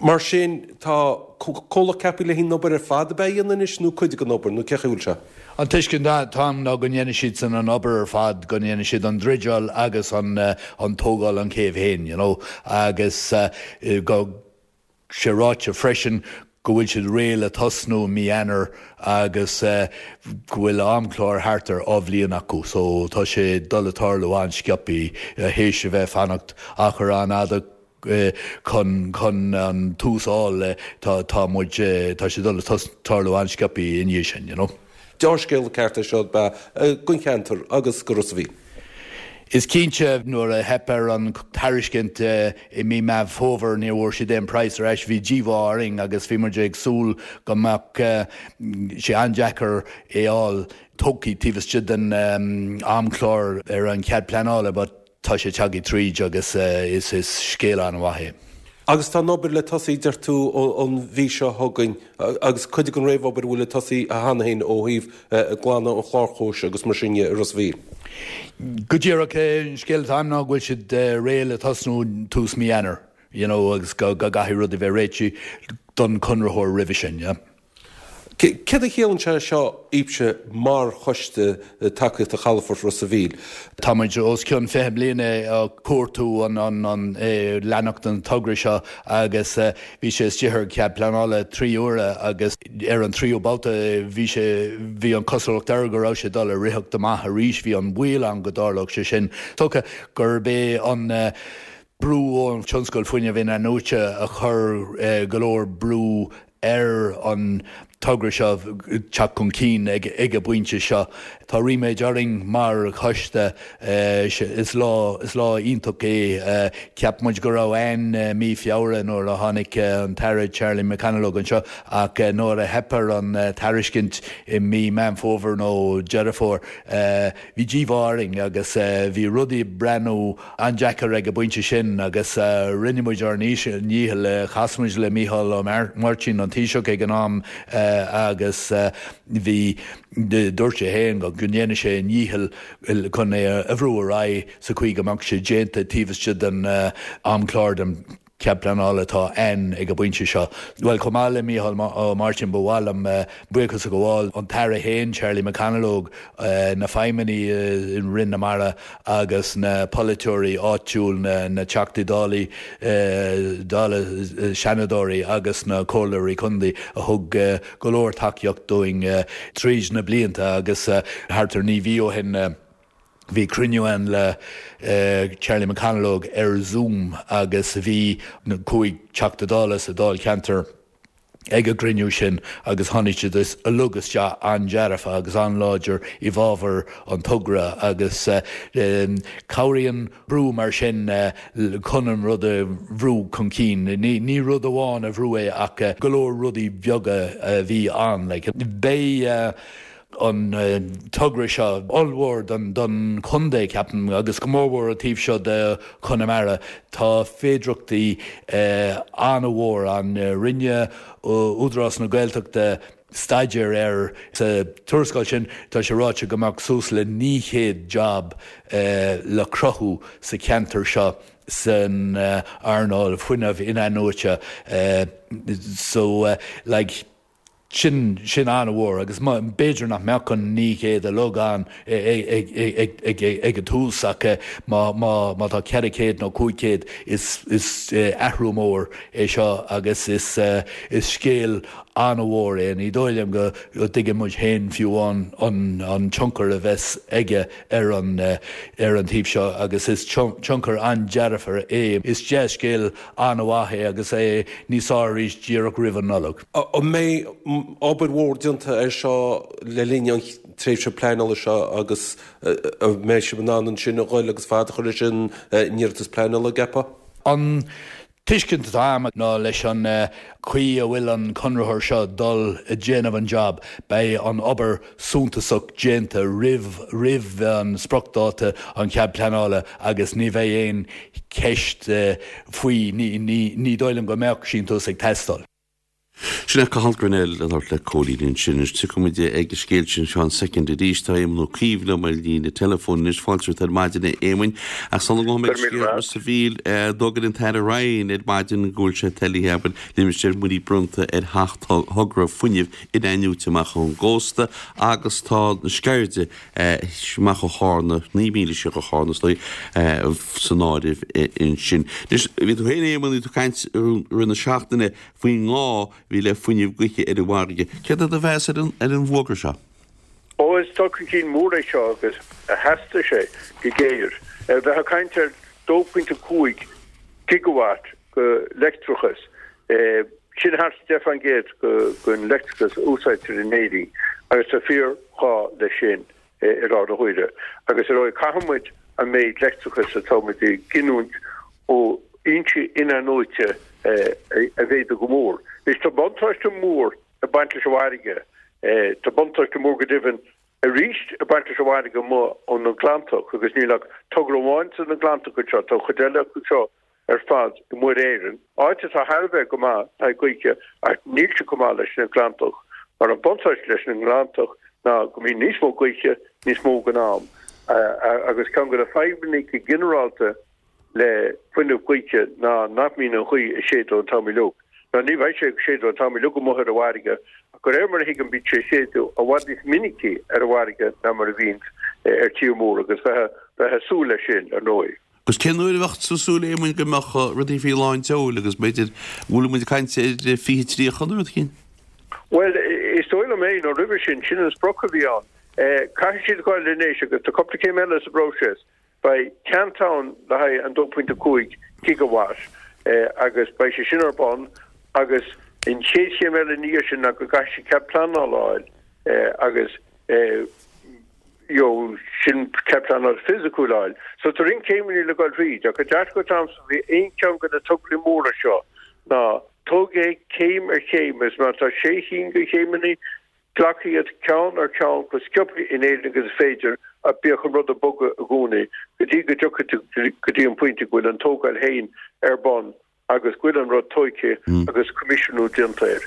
I: Mar sin, tá comhlacht ceaptha le haghaidh an obair ar fad ab ea a dhéanamh anois nó cuid den obair nó cén chaoi a bhfuil sé?
H: An tuiscint atá ann ná go ndéanfaidh siadsan an obair ar fad, go ndéanfaidh siad an druideáil agus an tógáil an chéibh féin, you know, agus go sé ráite freisin go bhfuil siad réidh le tosnú i mí Eanáir agus go bhfuil amchlár thart ar dhá bhliain acu so tá sé dul a tarlú an-sciobthaí théis a bheith fanacht achar an-fhada chun chun an tús a fháil tá tá muid tá sé dul a tarlú an-sciobthaí i ndiaidh sin you know.
I: Deá-scéala ceart é seo ab ea don cheantar agus do Ros a' Mhíl.
H: Is cinnte, nuair a theip ar an tairiscint i mí Meán Fómhair, níor bhfuair siad aon praghas ar ais. Bhí díomá orainn agus bhí muid ag súil go mbeadh sé an-deacair é fháil tógtha taobh istigh den amchlár ar an chead pleanála but tá sé tagtha tríd agus is scéal an-mhaith é.
I: Agus tá an obair le tosaí, deir tú, an mhí seo chugainn agus cuid den réamhobair a bhfuil le tosaí cheana féin ó thaobh glanadh an chlárchóis agus mar sin de i Ros a' Mhíl.
H: Go díreach, an scéal atá agam ná go bhfuil siad réidh le tosnú tús mí Eanáir, you know, agus go gcaithfidh rudaí bheith réitithe don chonraitheoir roimhe sin, yeah.
I: Céard a chiallaíonn sé seo daoibhse mar Choiste Tacaíochta Chalafort Ros a' Mhíl?
H: Tá muid os cionn fiche bliana ag cuartú an leanacht an togra seo agus bhí sé istigh ar chead pleanála trí huaire agus ar an tríú babhta bhí sé bhí an cosúlacht air go raibh sé dul a ritheacht amach arís, bhí an baol ann go dtarlódh sé sin. Dócha gurb é an brú ón tionscal fuinnimh in-athnuaite a chuir go leor brú ar an togra seo teacht chun cinn ag an bpointe seo. Tá ríméad orainn mar choiste. Is lá is lá iontach é. Cheap muid go raibh ann mí Feabhra nuair a tháinig an tAire Charlie McConalogue anseo ach nuair a theip ar an tairiscint i mí Meán Fómhair nó Deireadh Fómhair bhí díomá orainn agus bhí rudaí ag breathnú an-deacair ag an bpointe sin agus rinne muid ár ndícheall. Chas muid le Mícheál Ó Máirtín, an Taoiseach ag an am agus bhí, dúirt sé féin go ndéanfaidh sé a dhícheall chun é a bhrú ar aghaidh sa chaoi go mbeadh sé déanta taobh istigh den amchlár den chead pleanála atá ann ag an bpointe seo. Bhuel, chomh maith le Mícheál Ó Máirtín, ba mhaith liom buíochas a ghabháil an tAire féin, Charlie McConalogue, na feidhmeannaigh i Roinn na Mara agus na polaiteoirí áitiúil, na Teachtaí Dála, Dála, Seanadóirí agus na Comhairleoirí Contae a thug go leor tacaíocht dúinn tríd na blianta agus thart ar naoi mhí ó shin, Bhí cruinniú ann le Charlie McConalogue ar Zoom agus bhí na cúig Teachta Dála sa Dáilcheantar ag an gcruinniú sin agus tháinig siad uilig isteach an-dearfa agus an-láidir i bhfabhar an togra agus cabhraíonn brú mar sin chun an rud a bhrú chun cinn. Ní rud amháin a bhrú é ach go leor rudaí beaga a bhí ann. Beidh an togra seo ollmhór don chontae, ceapaim, agus go mórmhór an taobh seo de Chonamara. Tá féidearthachtaí an-mhór ann. Rinne Údarás na Gaeltachta staidéar air. Sa tuarascáil sin tá sé ráite go mbeadh suas le naoi chéad jab le cruthú sa cheantar seo san earnáil fuinnimh in-athnuaite. So like. Sin, sin an-mhór agus b'fhéidir nach mbeadh an naoi gcéad uilig ann ag an tús ach má, má, má tá ceithre chéad nó cúig chéad is, is athrú mór é seo agus is, is scéal an-mhór é. Ní dóigh liom go dtuigeann muid féin fiú amháin an, an tionchar a bheas aige ar an, ar an taobh seo agus is tionchar an-dearfach é. Is dea-scéal an-mhaith é agus é níos fearr arís díreach roimh an Nollaig.
I: An mbeidh obair mhór déanta air seo le linn an tréimhse pleanála seo agus an mbeidh sibh in ann ansin a ghoil agus fad a chur leis an n-iarratas pleanála, an gceapfá?
H: An tuiscint atá agam ná leis an chaoi a bhfuil an conraitheoir seo dul ag déanamh an job, beidh an obair suntasach déanta roimh roimh an spriocdháta an chead pleanála agus ní bheidh aon cheist faoi, ní dóigh liom go mbeadh síntiús ag teastáil.
A: Sin é Cathal Grennell ag labhairt le Cóilín ansin. Anois tiocfaidh muid ag an scéal sin seo i soicind arís. Tá Éamonn Ó Cuív liom ar líne teileafóin anois. Fáilte romhat ar maidin a Éamoinn. Ach sula ngabhfaidh mé ag scéal Ros a' Mhíl, d'fhógair an tAire Ryan ar maidin go bhfuil sé toilithe, abair, limistéar muirí bronnta ar sheacht thogra fuinnimh in-athnuaite amach ón gcósta agus tá na Sceirde amach ó Chárna, naoi míle siar ó Chárna is dóigh, san áireamh ansin. Anois, bhí tú féin, Éamonn, bhí tú ag caint i rith na seachtaine faoin ngá a bhí le fuinneamh gaoithe ar an bhfarraige. Céard é do mheas ar an bhfógra seo?
J: Ó, is dul chun cinn mór é seo agus theastaigh sé go géar. Bheith ag caint ar dó pointe cúig gigawatt de leictreachas, sin thart ar deich faoin gcéad den leictreachas a úsáidtear in Éirinn agus tá fíorghá leis sin. i láthair na huaire. Agus ar ndóigh caithfidh muid an méid leictreachais atá muid ag giniúint ó fhoinsí in-athnuaite a mhéadú go mór. Anois tá buntáiste mór ag baint leis an bhfarraige, tá buntáiste mór go deimhin arís ag baint leis an bhfarraige amuigh ó na Gleanntach agus níl ach togra amháin sna Gleanntacha anseo, tá an chuid eile acu seo ar fad i Muir Éireann, áit atá thar a bheith go maith le haghaidh gaoithe ach níl sé chomh maith leis na Gleanntach, mar an buntáiste leis na nGleanntach ná go mbíonn níos mó gaoithe níos mó den am agus ceann de na fadhbanna go ginearálta le fuinneamh gaoithe ná nach mbíonn an ghaoth ag séideadh an t-am uilig. Ná ní bheidh sé ag séideadh an t-am uilig amuigh ar an bhfarraige ach de réir mar a thuigim bíonn sé ag séideadh i bhfad níos minicí ar an bhfarraige ná mar a bhíonns ar tír mór agus bheifeá ag súil leis sin, ar ndóigh.
A: Agus cén uair a bheadh tú ag súil, a Éamoinn, go mbeadh rudaí faoi lán tseoil agus b'fhéidir, bhfuil muid ag caint ar fiche tríocha nó rud éigin?
J: Bhuel, is dóigh liom é, nó roimhe sin, sin an sprioc a bhí ann. Caithfidh siad goil anois agus tá cúpla céim eile sa bpróiseas. Beidh ceant ann le haghaidh an dó pointe cúig gigawatt agus beidh sé sin ar bun agus an chéad chéim eile ina dhiaidh sin ná go gcaithfidh siad cead pleanála a fháil agus you sin cead pleanála fisiciúil a fháil. So tá roinnt céimeanna le goil thríd ach an dearcadh atá agamsa faoi aon cheann de na tograí móra seo ná tóg é céim ar chéim agus má tá sé chinn de chéimeanna, glac iad ceann ar cheann chomh sciobtha in Éirinn agus is féidir ach bíodh an rud ag bogadh i gcónaí go dtí go dtiocfaidh tú go dtí an pointe go bhfuil an tógáil féin ar bun agus go bhfuil an rud tóigthe agus coimisiúnú déanta air.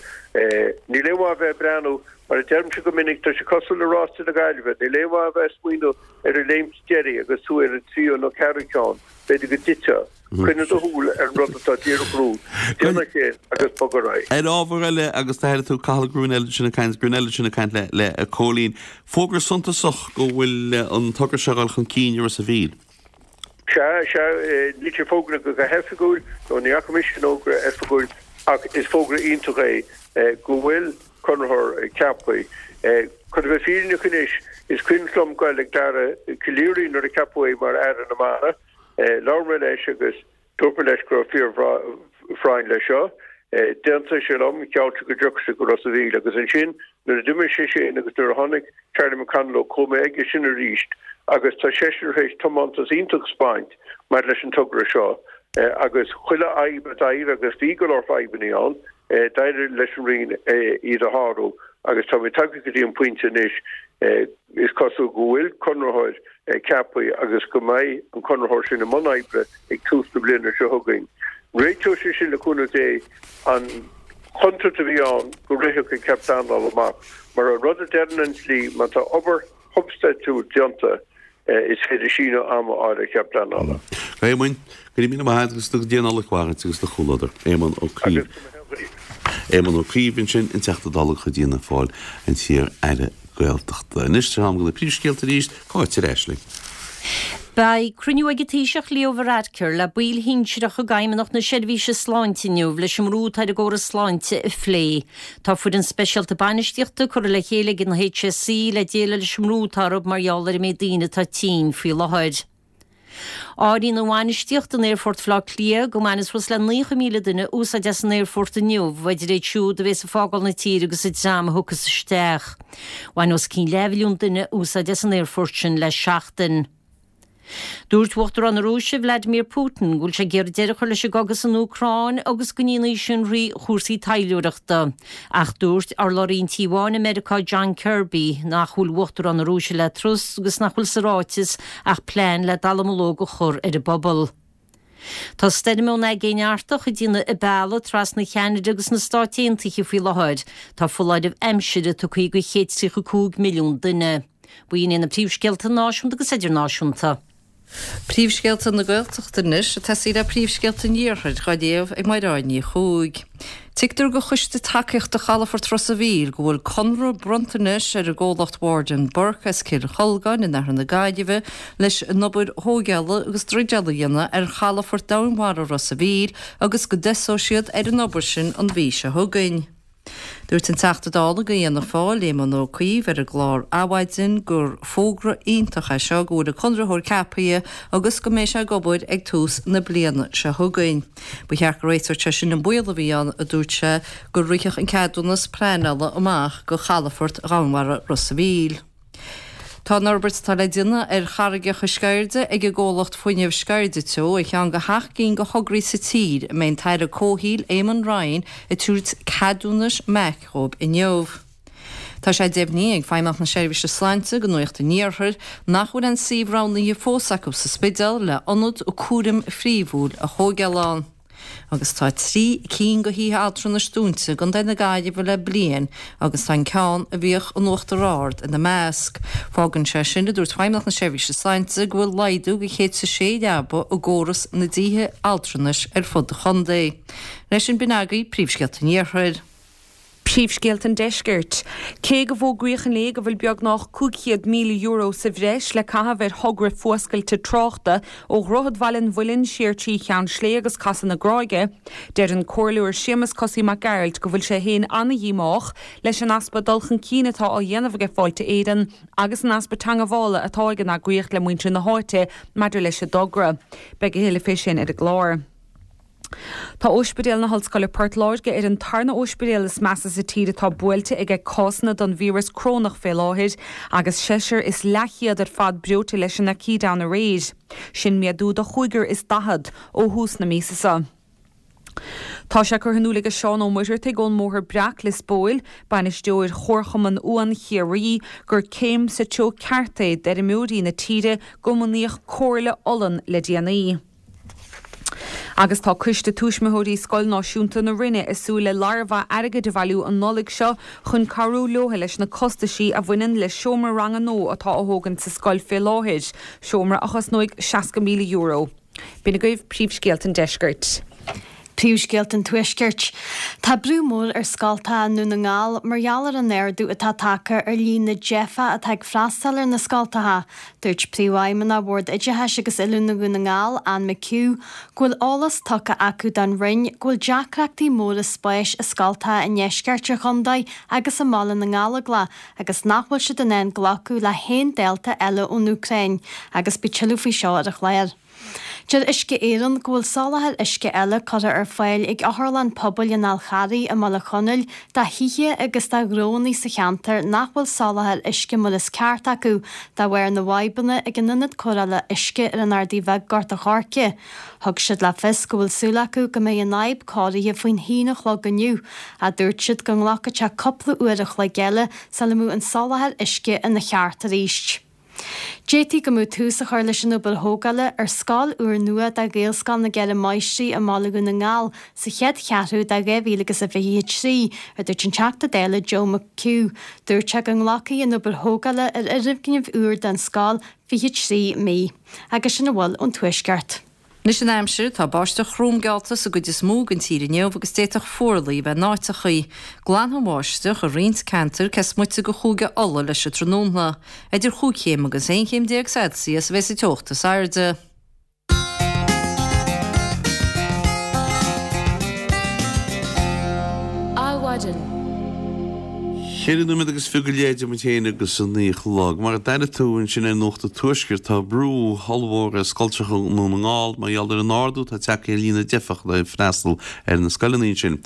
J: Níl aon mhaith a bheith ag breathnú, mar a deirimse go minic, tá sé cosúil le rás na Gaillimhe, níl aon mhaith a bheith ag smaoineamh ar an léimt deiridh agus tú ar an tríú nó ceathrú ceann, b'fhéidir go dtitfeá. Coinnigh do shúil ar an rud atá díreach romhat, déan é sin agus bog ar aghaidh.
A: Ar ábhar eile, agus d'airigh tú Cathal Gruanella ansin ag caint, Gruanella ansin ag caint le le Cóilín, fógra suntasach go bhfuil an togra seo ag dul chun cinn i Ros a' Mhíl.
J: Sea, sea, níl sé fógraithe go hoifigiúil, nó ní fhaca mise an fhógra oifigiúil, ach is fógra iontach é go bhfuil conraitheoir ceaptha. Chun a bheith fírinneach anois, is cuimhin liom goil ag Dara Calleary nuair a ceapadh é mar Aire na Mara. Labhair mé leis agus dúirt mé leis go raibh fíorphráinn leis seo. D'aontaigh sé liom, gheall sé go dtiocfadh sé go Ros a' Mhíl agus ansin nuair a d'imigh sé sin agus nuair a tháinig Charlie McConalogue chuaigh mé aige sin arís agus tá seisean tar éis tiomantas iontach a 'speáint maidir leis an togra seo agus chuile fhadhb a d'éirigh agus bhí go leor fadhbanna ann, d'éirigh leis an Roinn iad a shárú agus táimid tagtha go dtí an pointe anois is cosúil go bhfuil conraitheoir ceaptha agus go mbeidh an conraitheoir sin i mbun oibre ag tús na bliana seo chugainn. Réiteoidh sé sin le cúnamh Dé an chontúirt a bhí ann go rithfeadh an cead pleanála amach. Mar an rud a deireann an dlí, má tá obair shubstaintiúil déanta, is féidir síneadh ama a fháil ar chead pleanála.
A: A Éamoinn, go raibh míle maith agat agus go dté an Nollaig mhaith duit agus do chomhluadar. Éamon Ó Cuív. Éamon Ó Cuív ansin, an Teachta Dála de chuid Fhianna Fáil, an t-iar-aire Gaeltachta. Anois, tá am do na príomhscéalta arís, Cáit ar ais linn.
B: Beidh cruinniú ag an Taoiseach Leo Varadkar le baill shinsearacha d'Fheidhmeannacht na Seirbhíse Sláinte inniu leis an mbrú atá ar an gcóras sláinte a phlé. Tá foireann speisialta bainistíochta curtha le chéile ag an HSE le déileáil leis an mbrú atá orthu mar gheall ar an méid daoine atá tinn faoi láthair. Áiríonn an bhainistíocht in Aerfort Bhaile Átha Cliath go mbainfidh suas le naocha míle duine úsáid as an aerfort inniu, idir iad siúd a bhéas ag fágáil na tíre agus an dream a thiocfas isteach. Bhain os cionn leathmhilliún duine úsáid as an aerfort sin le seachtain. Dúirt Uachtarán na Rúise, Vladimir Putin, go bhfuil sé ag iarraidh deireadh a chur leis an gcogadh san Úcráin agus go ndéanfaidh sin thrí chúrsaí taidhleoireachta. Ach dúirt urlabhraí an Tí Bháin i Meiriceá, John Kirby, nach bhfuil Uachtarán na Rúise le trust agus nach bhfuil sa ráiteas ach plean le dallamullóg a chur ar an bpobal. Tá stoirm ón Aigéan Artach ag déanamh a bealaigh trasna Cheanada agus na Stáit Aontaithe faoi láthair. Tá foláireamh aimsire tugtha do chéad is tríocha cúig milliún duine. B'in iad na príomhscéalta náisiúnta agus idirnáisiúnta.
C: Príomhscéalta na Gaeltachta anois ag tosaí le príomhscéalta an Iarthair dhá léamh ag Mairéad Ní Chuaig. Tuigtear do Choiste Tacaíochta Chalafort Ros a' Mhíl go bhfuil conradh bronnta anois ar an gcomhlacht Ward and Burke as Cill Cholgáin in oirthear na Gaillimhe leis an obair thóigeála agus druideála a dhéanamh ar chalafort domhainmhara Ros a' Mhíl agus go dtosóidh siad ar an obair sin an mhí seo chugainn. Dúirt an Teachta Dála do Fhianna Fáil, Éamon Ó Cuív ar an gclár Adhmhaidin gur fógra iontach é seo go bhfuil an conraitheoir ceaptha agus go mbeidh sé ag obair ag tús na bliana seo chugainn. Ba cheart go réiteodh sé sin an baol a bhí ann, a dúirt sé, go rithfeadh an ceadúnas pleanála amach do chalafort dhomhainmhara Ros a' Mhíl. Tá an fhorbairt atá le déanamh ar charraigeacha Sceirde ag an gcomhlacht fuinnimh Sceirde Teo ar cheann de sheacht gcinn de thograí sa tír a mbeidh an tAire Comhshaoil Eamon Ryan ag tabhairt ceadúnais MAC dhóibh inniu. Tá sé deimhnithe ag Feidhmeannacht na Seirbhíse Sláinte do Nuacht an Iarthair nach bhfuil aon suíomh roghnaithe fós acu sa Spidéal le ionad cúraim phríomhúil a thóigeáil ann. Agus tá trí cinn de thithe altranais dúnta i gContae na Gaillimhe le bliain agus tá an ceann a bhíodh in Uachtar Ard ina measc. Fágann sé sin, a dúirt Feidhmeannacht na Seirbhíse Sláinte, go bhfuil laghdú de chéad is a sé leaba i gcóras na dtithe altranais ar fud an chontae. Leis sin, b'in agaibh príomhscéalta an Iarthair.
D: Príomhscéalta an Deiscirt. Cé go bhfógraíodh inné go bhfuil beagnach cúig chéad míle euro sa bhreis le caitheamh ar thogra fuascailte tráchta ó Dhroichead Bhaile an Mhuilinn siar trí Cheann Sléibhe agus Casadh na Gráige, deir an Comhairleoir Séamus Cosaí Mac Gearailt go bhfuil sé féin ana-dhíomách leis an easpa dul chun cinn atá á dhéanamh aige Fáilte Éireann agus an easpa teangabhála atá ag an eagraíocht le muintir na háite maidir leis an dtogra. Beidh a thuilleadh fé sin ar an gclár. Tá Ospidéal na hOllscoile Port Láirge ar an tarna ospidéal is measa sa tír atá buailte aige cásanna don víreas crónach fé láthair agus seisear is leathchéad ar fad breoite leis an aicíd ann aréir. Sin méadú de chúigear is daichead ó thús na míosa seo. Tá sé curtha in iúl aige Seán Ó Muircheartaigh ón mBóthar Breac, Lios Póil, bainisteoir Chomharchumann Uan Chiarraí, gur céim sa treo ceart é d'fheirmeoirí na tíre go mbunaíodh Comhairle Olann le déanaí. Agus tá Coiste Tuismitheoirí Scoil Náisiúnta na Rinne ag súil le lear mhaith airgid a bhailiú an Nollaig seo chun cabhrú leotha leis na costaisí a bhaineann le seomra ranga nua atá á thógaint sa scoil fé láthair, seomra a chosnóidh seasca míle euro. B'in agaibh príomhscéalta an deiscirt.
E: Príomhscéalta an Tuaiscirt. Tá brú mór ar scoltacha i nDún na nGall mar gheall ar an ardú atá tagtha ar líon na dteifeach atá ag freastal ar na scoltacha. Dúirt Príomhfheidhmeannach Bhord Oideachais agus Oiliúna Dhún na nGall, Anne McHugh, go bhfuil eolas tugtha acu don Roinn go bhfuil deacrachtaí móra spáis i scoltacha i ndeisceart an chontae agus i mBaile na nGallóglach agus nach bhfuil siad in ann glacadh le haon dalta eile ón Úcráin agus beidh tuilleadh faoi seo ar an chlár. Deir Uisce Éireann go bhfuil soláthar uisce eile curtha ar fáil ag Otharlann Pobail an Fháil Charraigh i mBaile Chonaill do thithe agus do ghnónna sa cheantar nach bhfuil soláthar uisce mar is ceart acu de bharr na bhfadhbanna ag an ionad cóireála uisce ar an Ardaidh Bheag, Gort a' Choirce. Thug siad le fios go bhfuil súil acu go mbeidh an fhadhb cóirithe faoin haon a chlog inniu ach dúirt siad go nglacfadh sé cúpla uair a chloig eile sula mbeadh an soláthar uisce ina cheart arís. D'fhéadfaí go mbeadh tús á chur leis an obair thógála ar scoil úrnua do Ghaelscoil na gCeithre Máistrí i mBaile Dhún na nGall sa chéad cheathrú de dhá mhíle agus a fiche a trí, a dúirt an Teachta Dála Joe McHugh. Dúirt sé go nglacfaidh an obair thógála ar fhoirgneamh úr don scoil fiche trí mí. Agus sin a bhfuil ón Tuaisceart.
C: Anois an aimsir, tá báisteach throm geallta sa gcuid is mó den tír inniu agus d'fhéadfadh fuarlaigh a bheith in áiteachaí. Glanfaidh an bháisteach i roinnt ceantar cé is moite de Chúige Uladh leis an tráthnóna. Idir chúig chéim agus aon chéim déag Celsius a bheas an teocht is airde.
A: Adhmhaidin. Ceithre nóiméad agus fiche go leith idir muid féin agus a naoi a chlog. Mar a d'airigh tú ansin ar Nuacht an Tuaiscirt, tá brú ollmhór ar scoltracha i nDún na nGall mar gheall ar an ardú atá tagtha ar líon na dteifeach atá ag freastal ar na scoileanna ansin.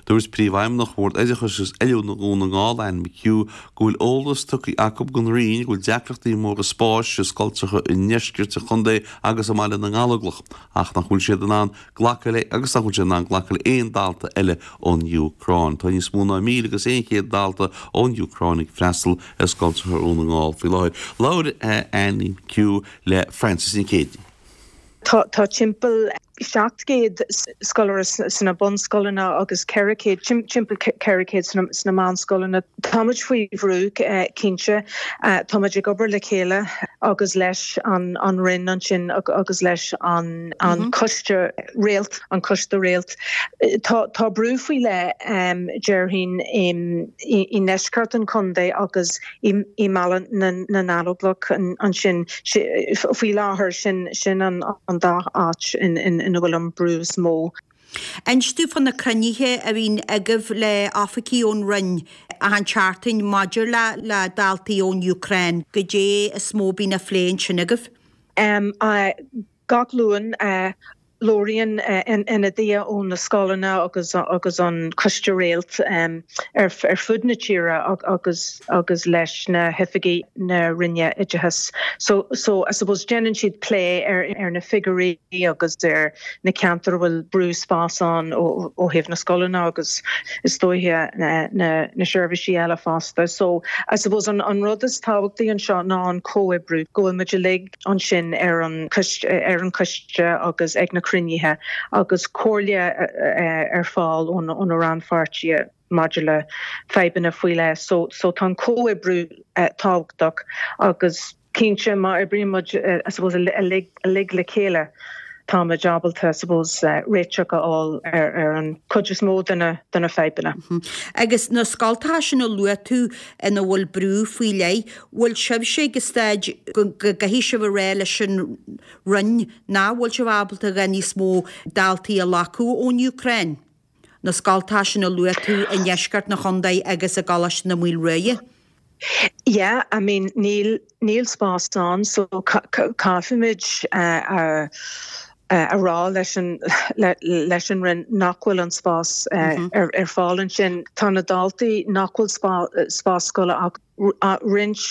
A: Dúirt Príomhfheidhmeannach Bhord Oideachais agus Oiliúna Dhún na nGall, Anne McHugh, go bhfuil eolas tugtha acu don Roinn go bhfuil deacrachtaí móra spáis i scoltracha i ndeisceart an chontae agus i mBaile na nGallóglach ach nach bhfuil siad in ann glacadh le agus nach bhfuil siad in ann glacadh le aon dalta eile ón Úcráin. Tá níos mó ná míle agus aon chéad dalta ón Úcráin ag freastal ar scoltracha Dhún na nGall faoi láthair. Labhair Anne McHugh le Frances Nic Géadaigh.
K: Tá tá timpeall seacht gcéad scoláire sna bunscoileanna agus ceithre chéad, timpeall ceithre chéad sna meánscoileanna. Táimid faoi bhrú, cinnte. Táimid ag obair le chéile agus leis an Roinn ansin agus leis an Coiste Réalt, an Coiste Réalt. Tá tá brú faoi leith, déarfainn, i ndeisceart an chontae agus i mBaile na nGallóglach ansin. Faoi láthair, sin sin an dá áit ina bhfuil an brú is mó.
L: Inis domh fá na cruinnithe a bhíonn agaibh le oifigigh ón Roinn achan tseachtain maidir le le daltaí ón Úcráin, goidé is mó a bhíonn á phlé ansin agaibh?
K: Gach Luan, labhraíonn ionadaithe ó na scoileanna agus agus an Coiste Réalt ar fud na tíre agus agus leis na hoifigigh na Roinne Oideachais. So so I suppose déanann siad plé ar ar na figiúirí agus ar na ceantair a bhfuil brú spás ann ó ó thaobh na scoileanna agus is dóiche na na na seirbhísí eile fosta. So I suppose an an rud is tábhachtaí anseo ná an comhoibriú, go bhfuil muid uilig ansin ar an ar an choiste agus ag na cruinnithe agus comhairle ar fáil ó na rannpháirtithe maidir le fadhbanna faoi leith. So so tá an comhoibriú tábhachtach agus cinnte má oibríonn muid I suppose uilig uilig le chéile táimid ábalta I suppose réiteach a fháil ar ar an chuid is mó de na de na fadhbanna.
L: Agus na scoltacha sin a luaigh tú ina bhfuil brú faoi leith, bhfuil sibhse ag an staid go gcaithfidh sibh a rá leis an Roinn nach bhfuil sibh ábalta a dhath níos mó daltaí a ghlacadh ón Úcráin, na scoltacha sin a luaigh tú i ndeisceart na chontae agus i gColáiste na Maoile Ruaidhe?
K: Yeah, I mean níl níl spás ann so caithfimid a a rá leis an leis an Roinn nach bhfuil an spás ar ar fáil ansin. Tá na daltaí nach bhfuil spás scoile ach roinnt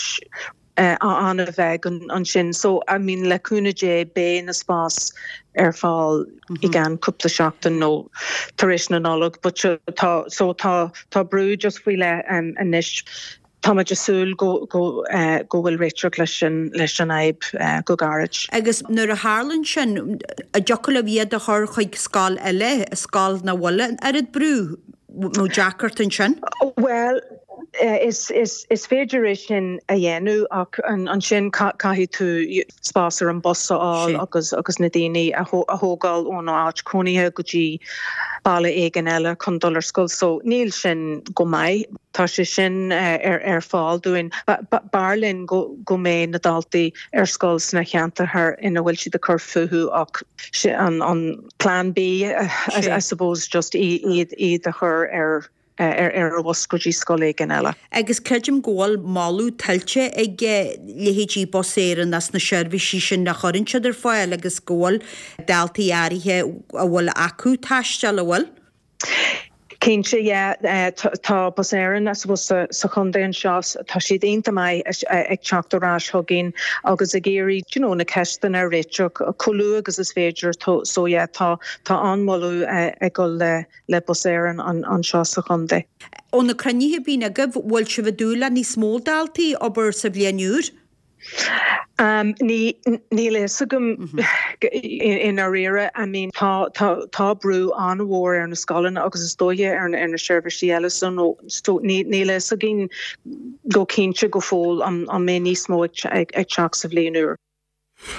K: an-bheag ansin. So I mean le cúnamh Dé beidh na spás ar fáil i gceann cúpla seachtain nó tar éis na Nollag but tá so tá tá brú just faoi leith anois. Táimid ag súil go go go bhfuil réiteach leis an leis an fhadhb go gairid.
L: Agus nuair a tharlaíonn sin, an dtiocfadh libh iad a chur chuig scoil eile, scoil nach bhfuil an oiread brú nó deacracht ansin?
K: Bhuel, is is is féidir é sin a dhéanamh ach ansin caithfidh tú spás ar an bus a fháil agus agus na daoine a thógáil óna áit cónaithe go dtí baile éigin eile chun dul ar scoil. So níl sin go maith. Tá sé sin ar ar fáil dúinn. B'fhearr linn go go mbeidh na daltaí ar scoil sna ceantair ina bhfuil siad ag cur fúthu ach an an plan B I suppose just iad iad a chur ar ar ar an bhus go dtí scoil éigin eile.
L: Agus creidim go bhfuil moladh tuillte ag leithéidí Bus Éireann as na seirbhísí sin a chuireann siad ar fáil agus go bhfuil daltaí áirithe a bhfuil acu taisteal, an bhfuil?
K: Cinnte, yeah, tá Bus Éireann, I suppose, sa sa chontae anseo, tá siad iontach maith ag teacht ar ais chugainn agus ag iarraidh, you know, na ceisteanna a réiteach chomh luath agus is féidir. So yeah, tá tá an-mholadh ag dul le le Bus Éireann anseo sa chontae.
L: Ó na cruinnithe a bhíonn agaibh, bhfuil sibh ag dúil le níos mó daltaí abair sa bhliain úr?
K: Um, ní níl a fhios agam i ndáiríre. I mean, tá tá tá brú an-mhór ar na scoileanna agus is dóiche ar ar na seirbhísí eile so no so ní níl a fhios againn go cinnte go fóill an an mbeidh níos mó ag ag teacht sa bhliain úr.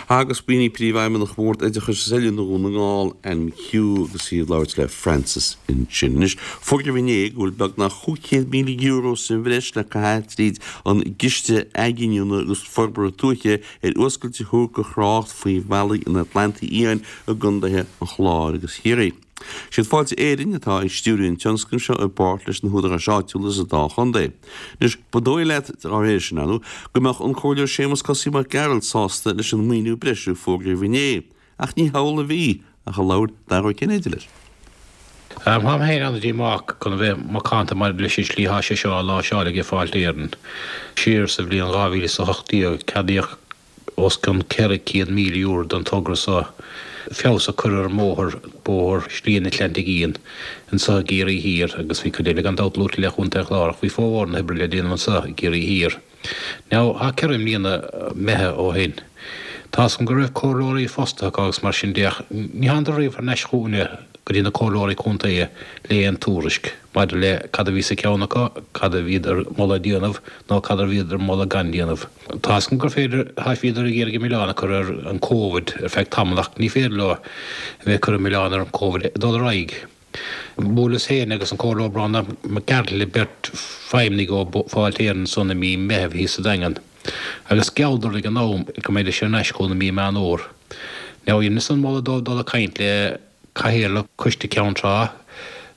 A: Agus b'in í Príomhfheidhmeannach Bhord Oideachais is Oiliúna Dhún na nGall, Anne McHugh, agus í ag labhairt le Frances ansin. Anois, fógraíodh inné go bhfuil beagnach chúig chéad míle euro sa bhreis le caitheamh tríd an gCiste Athghiniúna agus Forbartha Tuaithe ar fhuascailt a thabhairt do thrácht faoi bhealaí an Atlantaigh Fhiáin i gcontaetha an Chláir agus Chiarraí. Siad Fáilte Éireann atá ag stiúradh an tionscnaimh seo i bpáirt leis na húdaráis áitiúla sa dá chontae. Anois, ba dóigh leat, dá réir sin, ar ndóigh, go mbeadh an Comhairleoir Séamus Cosaí Mac Gearailt sásta leis an maoiniú breise a fógraíodh inné. Ach ní hamhlaidh a bhí, ach a labhair Dara Ó Cinnéide leis.
M: Táim féin an-díomách chun a bheith macánta maidir leis an slí atá sé seo á láimhseáil ag Fáilte Éireann. Siar sa bhliain dhá mhíle is a hocht déag, ceadaíodh os cionn ceithre chéad míle euro don togra seo feabhas a chur ar an mbóthar, bóthar Shlí an Atlantaigh Fhiáin, anseo i gCiarraí Thiar agus bhí cuid eile gan dabht luaite le Chontae an Chláir ach bhí formhór na hoibre le déanamh anseo i gCiarraí Thiar. Now, tá ceithre mbliana imithe ó shin. Tá's agam go raibh comhairleoirí fostaithe acu agus mar sin de ach ní thánadar riamh thar n-ais chugainne go dtí na comhairleoirí contae le aon tuairisc maidir le cad a bhí sa cheann acu, cad a bhíodar ag moladh déanamh nó cad a bhíodar ag moladh gan déanamh. Tá's agam gur féidir, tá bhíodar ag iarraidh an milleán a chur ar an Covid ar feadh tamaill ach ní féidir leo a bheith ag cur an milleán ar an Covid ag dul ar aghaidh. Bhuaileas féin agus an Comhairleoir Breandán Mac Gearailt le beirt feidhmeannaigh ó Fáilte Éireann ansan i mí Meithimh thíos sa Daingean agus ghealladar ag an am go mbeidís ar ais chugainn i mí Meán Fhómhair. Now dheineas an moladh dóibh dul ag caint le Cathaoirleach Coiste Ceann Trá,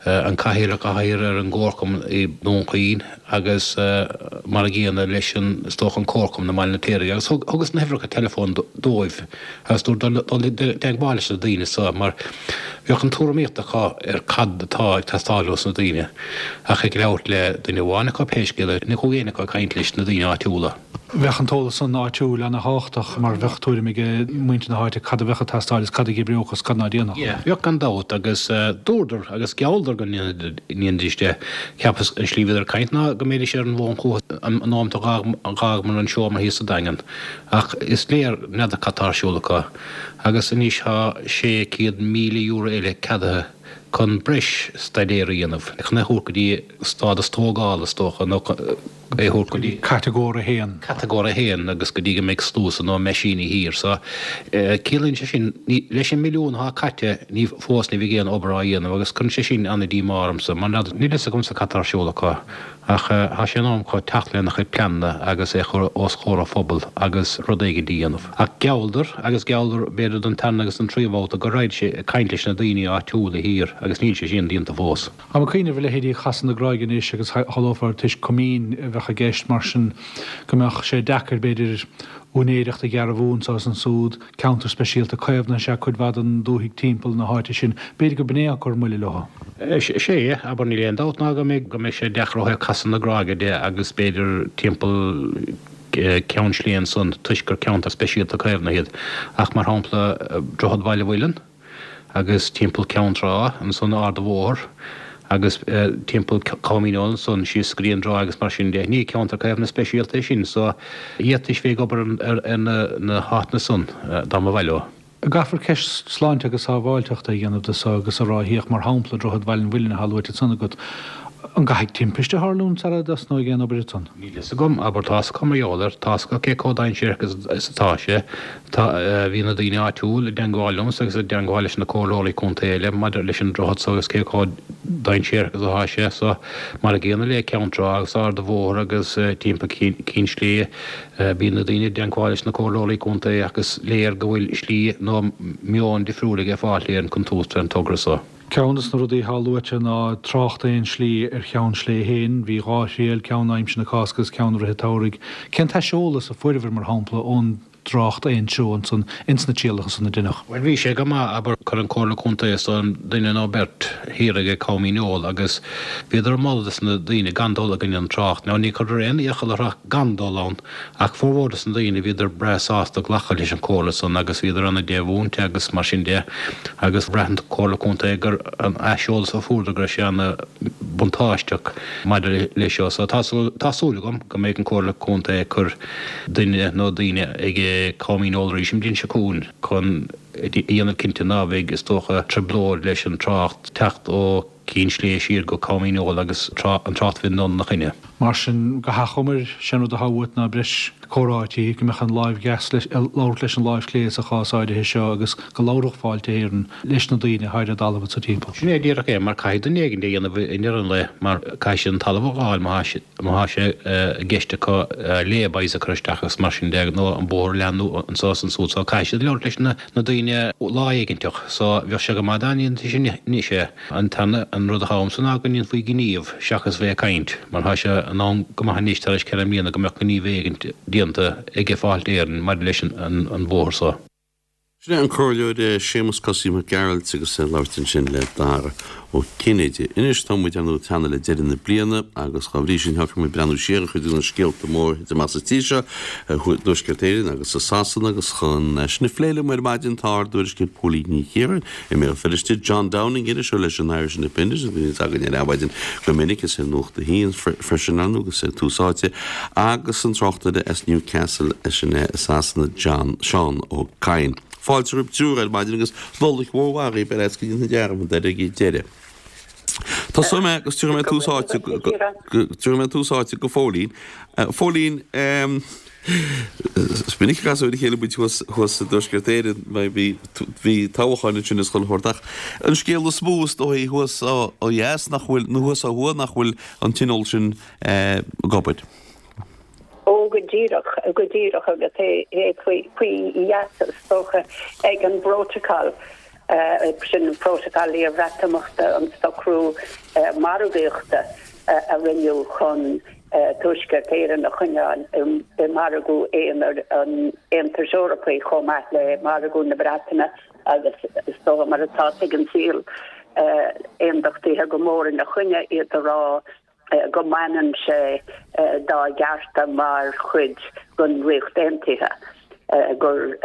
M: an Cathaoirleach atá thiar ar an gComharchumann i nDún Chaoin agus mar a gcéanna leis an, is dócha, an Comharchumann i mBaile na Cléirigh agus thugas na huimhreacha teileafóin dóibh agus dúirt dul dul i dteagmháil leis na daoine so mar bheadh an tuairimíocht acu ar cad atá ag teastáil ós na daoine ach ag labhairt le duine amháin acu pé scéal é, ní chuaigh éinne acu ag caint leis na daoine áitiúla.
N: Bheadh an t-eolas san áitiúil ana-thábhachtach mar bheadh tuairim ag muintir na háite cad a bheadh ag teastáil is cad a dh'oibreodh is cad ná déanfadh.
M: Yeah, bheadh gan dabht agus dúradar agus ghealladar go ndéanfaidís de. Cheapas an slí a bhíodar ag caint ná go mbeidís ar an bhfón chugat an nóimeat a dh'fhágamar an seomra thíos sa Daingean ach is léir n'fheadar cad tá ar siúl acu agus anois tá sé céad míle euro eile ceadaithe chun breis staidéir a dhéanamh, chun é a thabhairt go dtí stádas tógála, is dócha, nó é a thabhairt go dtí.
N: Catagóir a haon.
M: Catagóir a haon agus go dtí go mbeidh sluasaid nó meaisíní thiar. So, ciallaíonn sé sin, ní, leis an milliún atá caite, ní, fós ní bheidh aon obair á dhéanamh agus cuireann sé sin an-díomá ormsa mar níl a fhios agamsa cad tá ar siúl acu. Ach tá sé in am acu teacht lena chuid pleananna agus é a chur os comhair an phobail agus rud éigin a dhéanamh. Ach ghealladar, agus ghealladar b'fhéidir don tarna agus don tríú babhta, go raghaidís ag caint leis na daoine áitiúla thiar agus níl sé sin déanta fós.
N: Táim ag cuimhneamh ar leithéidí Chasadh na Gráige anois agus shamhlófá toisc coimín a bheadh i gceist mar sin go mbeadh sé deacair b'fhéidir úinéireacht a dhearbhú anso is ansúd, ceantar speisialta caomhnaithe is ea cuid mhaith den dúthaigh timpeall na háite sin. B'fhéidir go b'in é atá ag cur moille leo.
M: Sea, abair, níl aon dabht ná go mbeidh go mbeidh sé deacair ó thaobh Casadh na Gráige de agus b'fhéidir timpeall Ceann Sléibhe ansan toisc gur ceantar speisialta caomhnaithe iad. Ach mar shampla Droichead Bhaile Mhuilinn agus timpeall Ceann Trá ansan Ard a' Bhóthair agus timpeall Coimín Eoin ansan síos go dtí an dTráigh agus mar sin de. Ní ceantar caomhnaithe speisialta é sin so d'fhéadfaidís bheith ag obair ar na háiteanna san dá mba mhaith leo.
N: Caithfear ceist sláinte agus sábháilteachta a dhéanamh de so agus a rá féach mar shampla Droichead Bhaile an Mhuilinn atá luaite ansan agat. An gcaithfidh timpiste a tharlúint sara dtosnóidh aon obair ansan?
M: Níl fhios agam, abair, tá's acu mar gheall air, tá's acu cé chomh dainséarach is atá sé. Tá, bhí na daoine áitiúil i dteangmháil liomsa agus i dteangmháil leis na comhairleoirí contae eile maidir leis an droichead so agus cé chomh dainséarach is atá sé. So, mar a gcéanna le Ceann Trá agus Ard a' Bhóthair agus timpeall Cinn Sléibhe, bíonn na daoine i dteangmháil leis na comhairleoirí contae ach is léir go bhfuil slí nó meon difriúil ag Fáilte Éireann chun tabhairt ar an togra so.
N: Ceann des na rudaí atá luaite ná trácht aon slí ar Cheann Sléibhe féin, bhí dhá thriail, ceann aimsir na Cásca agus ceann i rith an tsamhraidh. Cén t-aiseolas a fuaireabhair, mar shampla, ón dtrácht aon treo ansan ins na trialacha san a deineadh?
M: Bhuel, bhí sé go maith, abair, chuir an Comhairle Contae is dóigh liom duine nó beirt thiar ag Com Dhíneol agus bhíodar ag moladh dos na daoine gan dul i gcoinne an trácht. Now ní chuireadar aon iachall orthu gan dul ann ach formhór dos na daoine bhíodar breá sásta glacadh leis an chomhairle san agus bhíodar ana dea-mhúinte agus mar sin de agus bhraith an Comhairle Contae gur an aiseolas a fuaireadar go raibh sé ana buntáisteach maidir leis seo. So tá tá súil agam go mbeidh an Comhairle Contae ag cur duine nó daoine ag Com Dhíneol arís an bhliain seo chugainn chun a dhéanamh cinnte ná bheidh, is dócha, trioblóid leis an trácht teacht ó Cinn Sléibhe siar go Com Dhíneol agus an trácht bheith in ina choinne.
N: Mar sin, go hachomair, sé'n rud atá uait ná breis comhráití, go mbeadh an láimh dheas ag labhairt leis an láimh chlé sa chás áirithe seo agus go labhródh Fáilte Éireann leis na daoine atá ar an dtalamh anso timpeall.
M: Sin é díreach é, mar caithfidh duine éigin é a dhéanamh i ndeireadh an lae, mar caithfidh siad an talamh a fháil má má thá sé i gceist acu lay-bys a chur isteach agus mar sin de, nó an bóthar a leathnú anso is ansúd, so caithfidh siad labhairt leis na na daoine lá éiginteach, so bheadh sé go maith dá ndéanfaí sin anois é. An t-aon an rud atá uaimse ná go ndéanfaí gníomh seachas bheith ag caint, mar thá sé in am go maith anois tar éis ceithre mbliana go mbeadh gníomh éigint déanta ag Fáilte Éireann maidir leis an an bhóthar so.
A: Sin é an Comhairleoir Séamus Cosaí Mac Gearailt agus é ag labhairt ansin le Dara Ó Cinnéide. Anois tá muid ar ndóigh ag teannadh le deireadh na bliana agus dá bhrí sin thiocfadh muid breathnú siar ar chuid de na scéalta móra a thit amach sa tír seo, i dTuaisceart Éireann agus i Sasana agus chun sin a phlé liom ar maidin tá ár dtuairisceoir Póilín Ní Chiaráin i mBéal Feirste, John Downing, iriseoir leis an Irish Independent a bhíonns againn ar Adhmhaidin go minic is ar Nuacht a hAon freisin ar ndóigh agus ar Tús Áite agus an tráchtaire as Newcastle sin é i Sasana John Seán Ó Cadhain. Fáilte roimh triúr ar maidin agus Nollaig mhór mhaith dhaoibh ar fhad go ndéanfaidh dearmad air ag deireadh. Tosóidh mé agus tabharfaidh mé tús áite tabharfaidh mé tús áite go Phóilín. Phóilín, is minic a casadh ar a chéile muid thuas thuas i dTuaisceart Éireann mar bhí bhí toghcháin ansin is chuile shórt ach an scéal is mó is dóigh thuas ó dheas nach bhfuil nó thuas ó thuaidh nach bhfuil an tionól sin ag obair.
O: Ó, go díreach, go díreach, agus é faoi gheasa, is dócha, ag an bprótacal, sin an prótacal iarBhreatimeachta, an socrú margaíochta a rinneadh chun Tuaisceart Éireann a choinneáil i margadh aonair an Aontais Eorpaigh chomh maith le margadh na Breataine agus is dócha mar atá ag an saol, aondachtaithe go mór ina choinne, iad a rá go mbaineann sé dá gcearta mar chuid den Ríocht Aontaithe, gur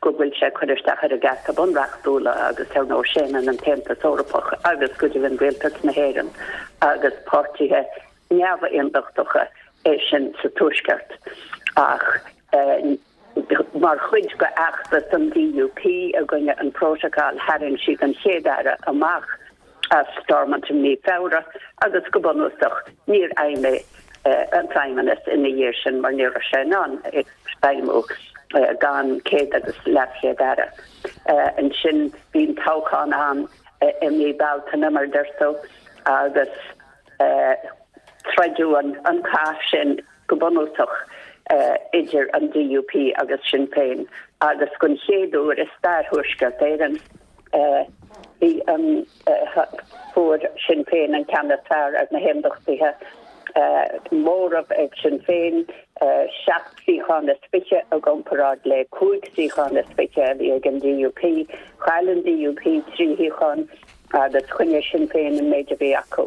O: go bhfuil sé ag cur isteach ar a gcearta bunreachtúla agus ar ndóigh séanann an tAontas Eorpach agus go deimhin Rialtas na hÉireann agus páirtithe neamh-aondachtacha é sin sa Tuaisceart. Ach mar chuid de fheachtas an DUP i gcoinne an Prótacal tharraing siad an Chéad-Aire amach as Stormont i mí Feabhra agus go bunúsach níor fheidhmigh an Feidhmeannas ina dhiaidh sin mar ní raibh sé in ann feidhmiú gan céad agus leaschéad aire. Ansin bhí an toghchán ann i mí Bealtaine mar a deir tú agus troideadh an cath sin go bunúsach idir an DUP agus Sinn Féin agus den chéad uair i stair Thuaisceart Éireann bhí an fuair Sinn Féin an ceann is fearr ar na hAondachtaithe. Móramh ag Sinn Féin, seacht suíochán is fiche i gcomparáid le cúig suíochán is fiche a bhí ag an DUP. Chaill an DUP trí shuíochán agus choinnigh Sinn Féin an méid a bhí acu.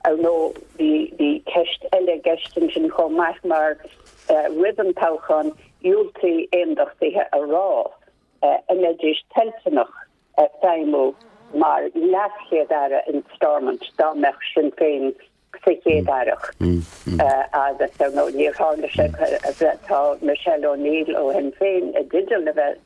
O: Ar ndóigh, bhí bhí ceist eile i gceist ansin chomh maith mar roimh an toghchán dhiúltaigh aondachtaithe a rá an mbeidís toilteanach feidhmiú mar leaschéad-aire in Stormont dá mbeadh Sinn Féin sa Chéad-Aireacht. Agus ar ndóigh níor tharla sé, tá Michelle O'Neill ó Shinn Féin i dteideal a bheith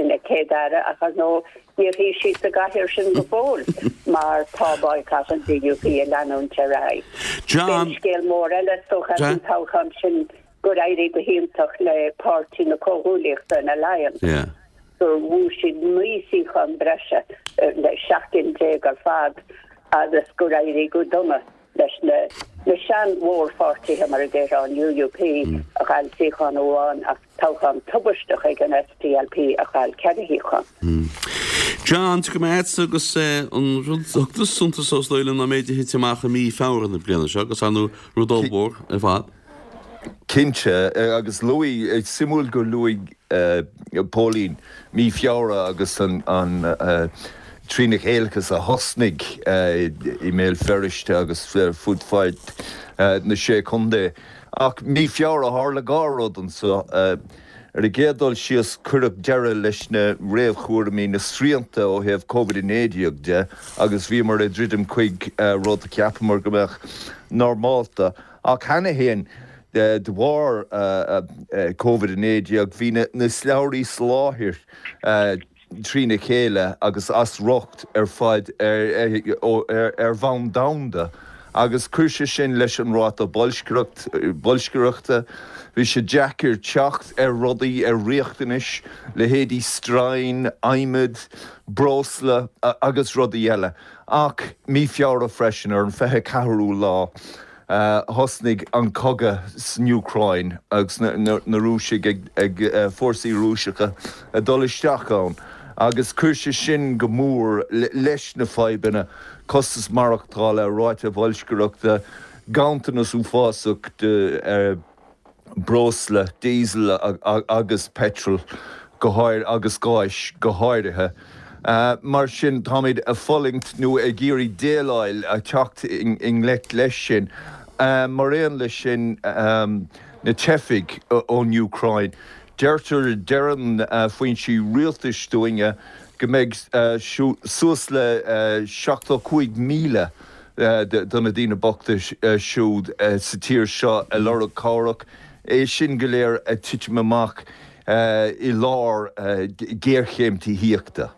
O: ina Céad-Aire ach ar ndóigh níor shuigh sí sa gcathaoir sin go fóill mar tá boycott an DUP ag leanúint ar aghaidh.
A: John.
O: B'é scéal mór eile is dócha as an toghchán sin gur éirigh go hiontach le Páirtí na Comhghuaillíochta, an Alliance, gur bhuaigh siad naoi suíochán breise le seacht gcinn déag ar fad agus gur éirigh go dona leis na na sean-mhórpháirtithe mar a déarfá, an UUP a chaill suíochán amháin ach toghchán tubaisteach ag an SDLP a chaill ceithre shuíochán.
A: John, tiocfaidh mé agatsa agus an rud a thug tusa suntas dó is dóigh liom ná an méid a thit amach i mí Feabhra na bliana seo agus ar ndóigh rud ollmhór ar fad.
P: Cinnte, agus luaigh, suimiúil gur luaigh Póilín mí Feabhra agus an trína chéileachas a thosnaigh i mBéal Feirste agus fud fad na Sé Chontae. Ach mí Feabhra tharla dhá rud anseo. Ar an gcéad dul síos, cuireadh deireadh leis na réamhchúraimí, na srianta ó thaobh Covid a naoi déag de agus bhíomar ag druidim chuig rud a cheapamar go mbeadh normálta. Ach cheana féin, de bharr Covid a naoi déag, bhí na slabhraí soláthair trína chéile agus as riocht ar fad ar bhonn domhanda agus chuir sé sin leis an ráta boilscireachta. Bhí sé deacair teacht ar rudaí, ar riachtanais, leithéidí stroighin, adhmad, breosla agus rudaí eile. Ach mí Feabhra freisin, ar an fiche ceathrú lá, Thosnaigh an cogadh san Úcráin agus na Rúisigh ag, fórsaí Rúiseacha ag dul isteach ann agus chuir sé sin go mór leis na fadhbanna, costas maireachtála, ráta boilscireachta, ganntanas uafásach de breosla, diesel agus petrol go háir agus gáis go háirithe. Mar sin, táimid ag fulaingt nó ag iarraidh déileáil, teacht i ngleic leis sin. Mar aon leis sin, na teifigh ón Úcráin. Deirtear, deireann foinsí rialtais dúinne go mbeidh suas le seachtó cúig míle de na daoine bochta siúd sa tír seo ag lorg cabhrach. É sin go léir ag titim amach i lár géarchéim tithíochta.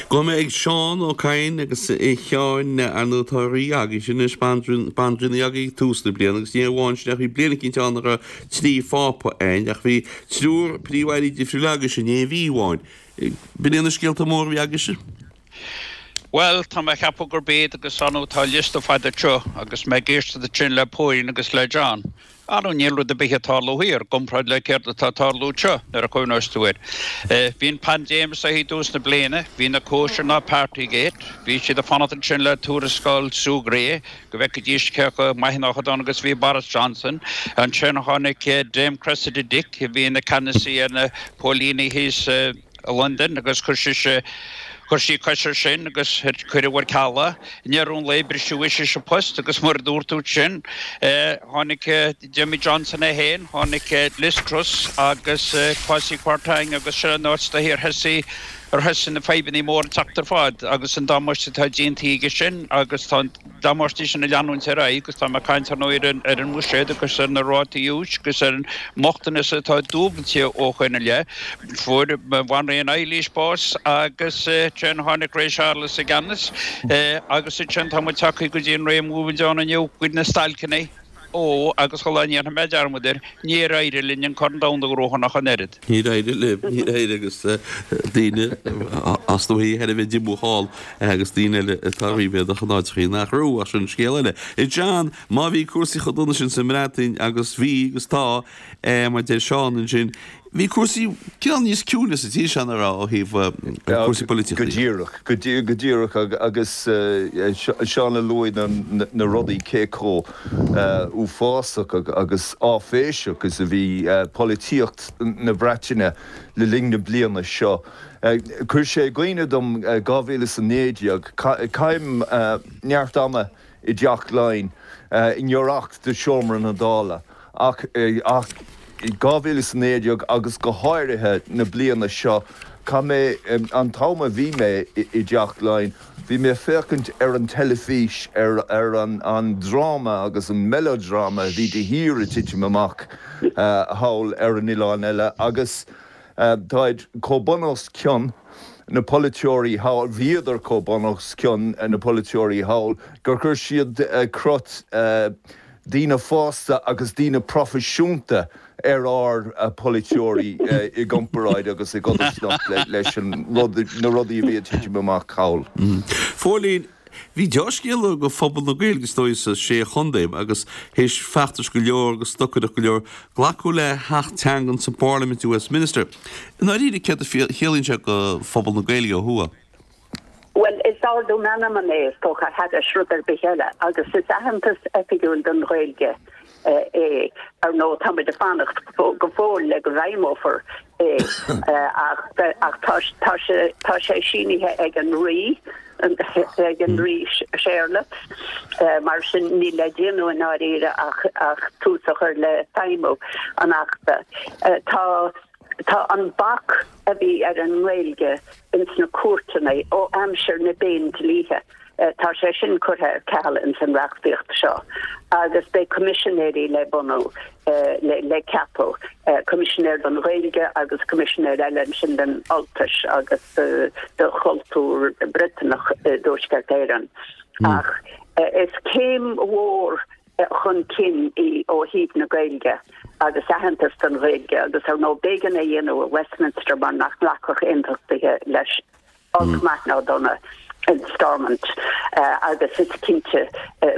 A: Gabhfaidh mé ag Seán Ó Cadhain agus a Sheáin, ar ndóigh tá rí agaibhse anois, bandraoi agaibh ag tús na bliana agus ní amháin sin ach bhí bliain eicínt ann a raibh trí phápa againn ach bhí triúr príomh-airí difriúil agaibhse in aon mhí amháin. B'in iad na scéalta móra a bhí agaibhse?
Q: Bhuel, tá mé a cheapadh gurb iad agus ar ndóigh tá liosta fada anseo agus mé ag éisteacht ansin le Póilín agus le John. Ar ndóigh níl rud ar bith ag tarlú thiar i gcomparáid le céard atá ag tarlú anseo nuair a chuimhneos tú air. Bhí an paindéim is i dtús na bliana, bhí na cóisir ná Partygate, bhí siad ag fanacht ansin le tuarascáil Sue Gray go bhfeicfidís cé chomh maith nó chomh dona agus a bhí Boris Johnson. Ansin tháinig Dame Cressida Dick a bhí ina ceannasaí ar na póilíní thíos i Londain agus chuir sise Chuir sí cos air sin agus cuireadh ar ceal é. I ndeireadh an lae briseadh ise as a post agus mar a dúirt tú ansin tháinig d'imigh Johnson é féin, tháinig Liz Truss agus Kwasi Kwarteng agus sin an áit ar thosaigh ar thosaigh na fadhbanna móra ag teacht ar fad agus an damáiste atá déanta aige sin agus tá an damáiste sin ag leanúint ar aghaidh agus tá mé ag caint ar ndóigh ar an mbuiséad agus ar na rátaí úis agus ar an mbochtanas atá dúbailte ó shoin i leith. Fuair Banríon Eilís bás agus ansin tháinig ré Séarlas i gceannas agus ansin tá muid tagtha go dtí an ré a bhfuil muid ann inniu, go dtí na stailceanna. Ó, agus chuile lá, ní dhéanfaidh mé dearmad air, níor éirigh linn an Corn Domhanda a ghnóthú ach an oiread.
A: Níor éirigh libh, níor éirigh agus daoine as na thar a bheith díomách thall agus daoine eile atá ríméadach in áiteachaí nach raibh, ach sin scéal eile. A John, má bhí cúrsaí chomh dona sin sa mBreatain agus bhí agus tá, mar a deir Seán ansin, Bhí cúrsaí cineál níos ciúine sa tír seo nach raibh ó thaobh cúrsaí polaitíochta
P: Go díreach, go díreach agus Seán a luaigh na rudaí cé chomh uafásach agus áiféiseach is a bhí polaitíocht na Breataine le linn na bliana seo. Chuir sé i gcuimhne dom dhá mhíle is a naoi déag, caithim neart ama i dTeach Laighean i ngiorracht do Sheomra na Dála ach ach dhá mhíle is a naoi déag agus go háirithe na bliana seo, chaith mé an t-am a bhí mé i dTeach Laighean, bhí mé ag féachaint ar an teilifís ar ar an an dráma agus an melodrama a bhí de shíor ag titim amach thall ar an oileán eile agus táid chomh bun os cionn na polaiteoirí thall, bhíodar chomh bun os cionn na polaiteoirí thall gur chuir siad crot daoine fásta agus daoine proifisiúnta ar ár bpolaiteoirí i gcomparáid agus i gcodarsnacht leis an rud, na rudaí a bhí ag titim amach thall.
A: Phóilín, Bhí deá-scéala do phobal na Gaeilge is dóigh sa Sé Chontae agus théis feachtais go leor agus stocaireacht go leor glacadh le hAcht Teangan sa bParlaimint i Westminster. I ndáiríre céard a chiallaíonn sé do phobal na Gaeilge ó thuaidh?
O: Bhuel, is ardú meanman é is dócha thairis rud ar bith eile agus is aitheantas oifigiúil don Ghaeilge é. Ar ndóigh, táimid ag fanacht go fóill le go bhfeidhmeofar é ach tá tá sé sínithe ag an Rí, ag an Rí Séarlas, mar sin níl le déanamh i ndáiríre ach ach tús a chur le feidhmiú an Achta. Tá Tá an bac a bhí ar an nGaeilge ins na cúirteanna ó aimsir na bPéindlíthe, tá sé sin curtha ar ceal ins an reachtaíocht seo agus beidh coimisinéirí le bunú, le ceapadh, coimisinéir don Ghaeilge agus coimisinéir eile ansin don Ultais agus do chultúr Briotanach i dTuaisceart Éireann. Ach is céim mhór chun cinn í ó thaobh na Gaeilge agus aitheantas don Ghaeilge agus ar ndóigh b'éigean é a dhéanamh i Westminster mar nach nglacfadh aontachtaithe leis, olc maith ná dona, in Stormont agus is cinnte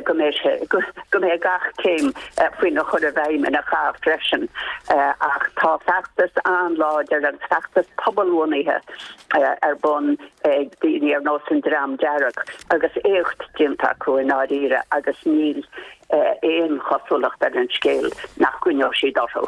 O: go mbeidh sé, go mbeidh gach céim faoina chur i bhfeidhm ina chath freisin ach tá feachtas an-láidir agus feachtas pobalbhunaithe ar bun ag daoine ar nós an Dream Dearg agus éacht déanta acu i ndáiríre agus níl aon chosúlacht ar an scéal nach gcoinneoidh siad orthu.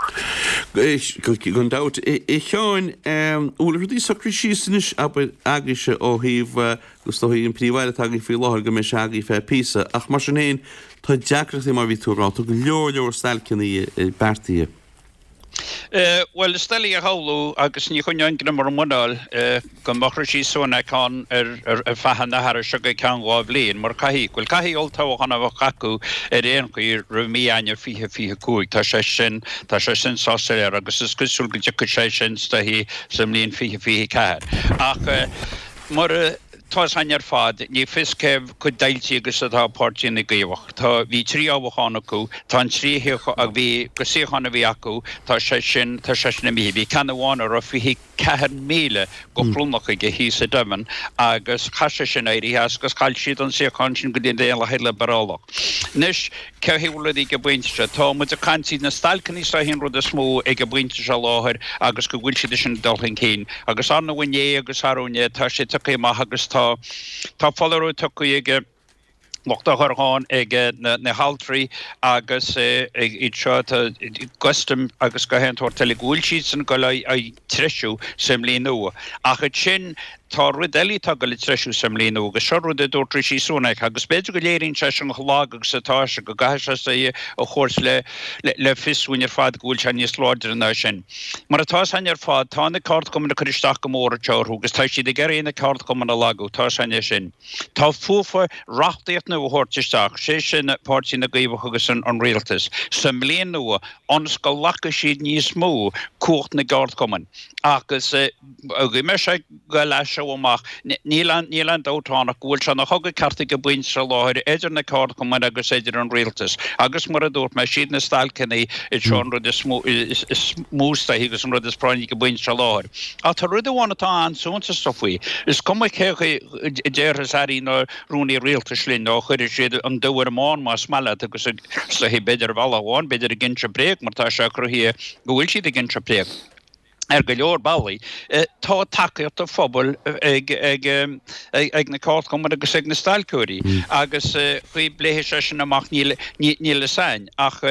A: Gan dabht. A Sheáin, an bhfuil rudaí socraithe síos anois, abair, agaibhse ó thaobh, agus is dóigh an Príomh-Aire atá againn faoi láthair go mbeidh sé agaibh feadh píosa, ach mar sin féin, tá deacrachtaí mar a bhí tú ag rá, tá go leor leor stailceanna beartaithe.
Q: Bhuel, is doiligh a shamhlú, agus ní choinneoinn greim ar mo mhuineál, go mbeadh Rishi Sunak ann ar feadh an achar seo go ceann dhá bhliain, mar caithfidh, bhuel, caithfidh olltoghchán a bheith acu ar aon chaoi roimh mí Eanáir fiche fiche cúig. Tá sé sin, tá sé sin sách soiléir agus is cosúil go dtiocfaidh sé sin is dóichí sa mbliain fiche fiche ceathair. Ach mar a. Tá a fhios againn ar fad, ní fios cé chomh deighilte agus atá Páirtí na gCaomhach. Tá, bhí trí thoghchán acu, tá an trí shuíochán, bhí, go suíochán a bhí acu, tá sé sin, tá sé sin imithe. Bhí ceann amháin a raibh fiche ceathair míle go thromlach aige thíos i Devon agus chaith sé sin éirí as agus chaill siad an suíochán sin go dtí an Daonlathaí Liobrálach. Anois, cé hé bhfuil rudaí ag an bpointe seo? Tá muid ag caint, iad na stailceanna is dóichí an rud is mó ag an bpointe seo láthair agus go bhfuil siad sin ag dul chun cinn. Agus ar ndóigh inné agus arú inné tá sé tugtha amach agus tá tá foláireamh tugtha ag lucht otharcharr, ag na haltraí agus iad seo tá gCustom agus gach aon tsórt eile go bhfuil siadsan ag dul á treisiú sa mbliain nua. Ach ansin tá rud eile atá ag dul ag treisiú sa mbliain nua agus seo rud a dúirt Rishi Sunak agus b'fhéidir go léiríonn sé sin chomh lag agus atá sé, go gcaithfidh sé é a thabhairt le le fios dúinn ar fad go bhfuil sé níos láidre ná sin. Mar atá a fhios againn ar fad, tá na ceardchumainn ag cur isteach go mór anseo orthu agus tá siad ag iarraidh na ceardchumainn a lagú, tá a fhios againn é sin. Tá fúthu reachtaíocht nua a thabhairt isteach, sé sin Páirtí na gCaomhach agus an Rialtas, sa mbliain nua ionas go nglacfaidh siad níos mó cumhacht na gceardchumann agus go mbeidh sé go leath seo amach. Níl aon dabht ann ach go bhfuil sé ina chogadh ceart ag an bpointe seo láthair idir na ceardchumainn agus idir an rialtas agus mar a dúirt mé, siad na stailceanna iad seo an rud is mó is dóichí agus an rud is práinní ag an bpointe seo láthair. Ach tá rud amháin atá an-suntasach faoi, is cuma cé a déarfas airí nó rúnaí rialtais linn nó chuirfidh siad an dubh ar an mbán más maith leat agus is dóichí b'fhéidir ar bhealach amháin b'fhéidir ag inse bréag mar tá sé cruthaithe go bhfuil siad ag inse bréag. Ar go leor bealaí, tá tacaíocht an phobail ag ag na ceardchumainn agus ag na stailceoirí agus chaoi bpléifidh sé sin amach níl níl a fhios againn ach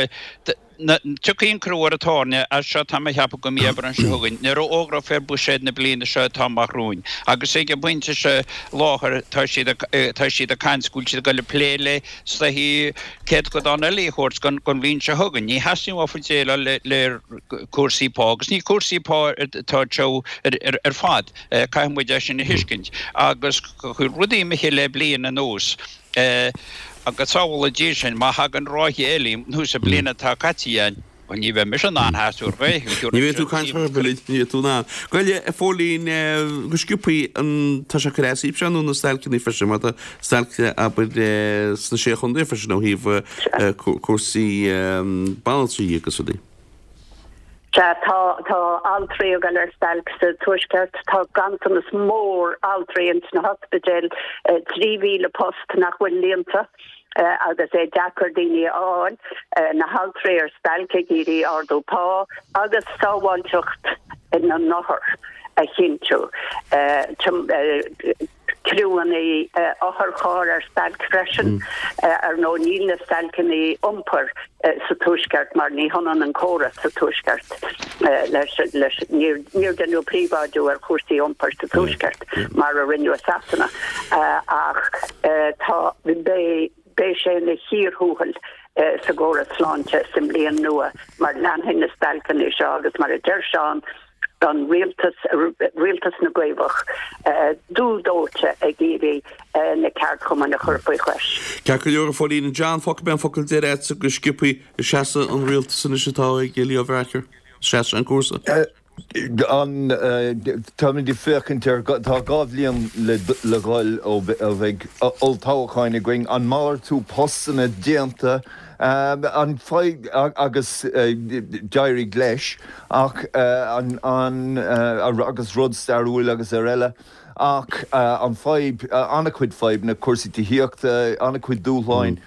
Q: tiocfaidh an crú ar an tairne as seo tá mé a cheapadh go mí Aibreán seo chugainn nuair a fhógrófar buiséad na bliana seo atá amach romhainn agus ag an bpointe seo láthair tá siad tá siad ag caint go bhfuil siad ag dul ag plé le is dóichí céatadán eile a thabhairt don bhliain seo chugainn. Ní theastaíonn uafa déileáil le le cúrsaí pá agus ní cúrsaí pá atá anseo ar fad, caithfidh muid é sin a thuiscint. Agus chuir rudaí imithe le bliain anuas agus sábhála Dia sinn má thagann ráithe eile anuas an bliain atá caite againn. Bhuel, ní bheidh mise in ann sheasamh ar ghaoth.
A: Ní bheidh tú ag caint ar bith, ní bheidh tú in ann. Gabh i leith, a Phóilín, go sciobthaí an, tá sé ag cur as daoibhse ar ndóigh na stailceanna freisin, mar tá stailc, abair, sna Sé Chontae freisin ó thaobh cúrsaí banaltraí agus rudaí.
O: Sea, tá, tá altraí ag dul ar stailc sa Tuaisceart, tá ganntanas mór altraí ins na hospidéil, trí mhíle post nach bhfuil líonta. agus é deacair daoine a fháil, na haltraí ar stailc ag iarraidh ardú pá agus sábháilteacht na n-othar a chinntiú. Criúanna otharcharr ar stailc freisin. Ar ndóigh níl na stailceanna iompair sa Tuaisceart mar ní hionann an córas sa Tuaisceart leis leis níor níor deineadh príobháidiú ar chúrsaí iompair sa Tuaisceart mar a rinneadh i Sasana ach tá beidh beidh sé ina chíor thuathail sa gcóras sláinte sa mbliain nua mar leanfaidh na stailceanna seo agus mar a deir Seán an rialtas, rialtas na gCaomhach, dubh dóite ag iarraidh na ceardchumainn a chur faoi chois.
A: Ceart go leor, a Phóilín. John, fágfaidh mé an focal deiridh agatsa go sciobtha. Seasfaidh an rialtas anois atá ag Leo Varadkar? Seasfaidh an cúrsa?
P: An, táimid ag féachaint ar, tá dhá bhliain le dhul ó bheidh olltoghcháin againn, an malartú postanna déanta, an fadhb, agus d'éirigh leis, ach an, an, agus rud stairiúil agus ar eile, ach an fadhb, an-chuid fadhbanna, cúrsaí tithíochta, an-chuid dúshláin,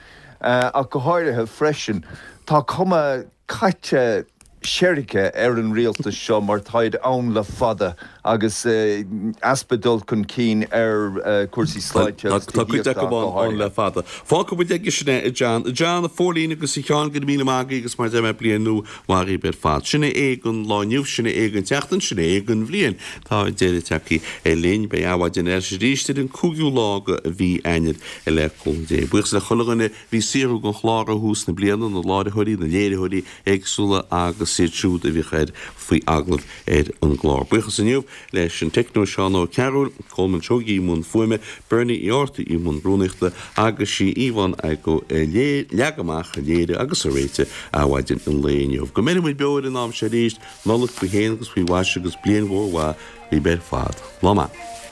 P: ach go háirithe freisin, tá cuma caite seirce ar an rialtas seo mar táid ann le fada agus easpa dul chun cinn ar chúrsaí sláinte agus
A: Tá cuid
P: tithíochta
A: acu
P: ach go
A: ann ann
P: háirithe.
A: le fada. Fágfaidh muid aige sin é, a John. A John, a Phóilín agus a Sheáin, go raibh míle maith agaibh agus mar a deir mé bliain nua mhaith dhaoibh ar fad. Sin é don lá inniu, sin é don tseachtain, sin é don bhliain. Tá deireadh tagtha linn. Beidh Adhmhaidin ar ais arís ar an cúigiú lá de mhí Eanáir le cúnamh Dé. Buíochas le chuile dhuine a bhí ag saothrú don chlár ó thús na bliana, na láithreoirí, na léiritheoirí éagsúla agus iad siúd a bhíodh ar faoi agallamh ar an gclár. Buíochas inniu leis an teicneoir Seán Ó Cearúil, Colman Seoighe i mbun fuaime, Bernie Uí Ártaigh i mbun rúnaíochta agus sí Yvonne Igoe a leag amach, a léirigh agus a réitigh Adhmhaidin an lae inniu. Go mbeire muid beo ar an am seo arís, Nollaig faoi shéan agus faoi mhaise agus bliain mhór mhaith daoibh ar fad. Lá maith.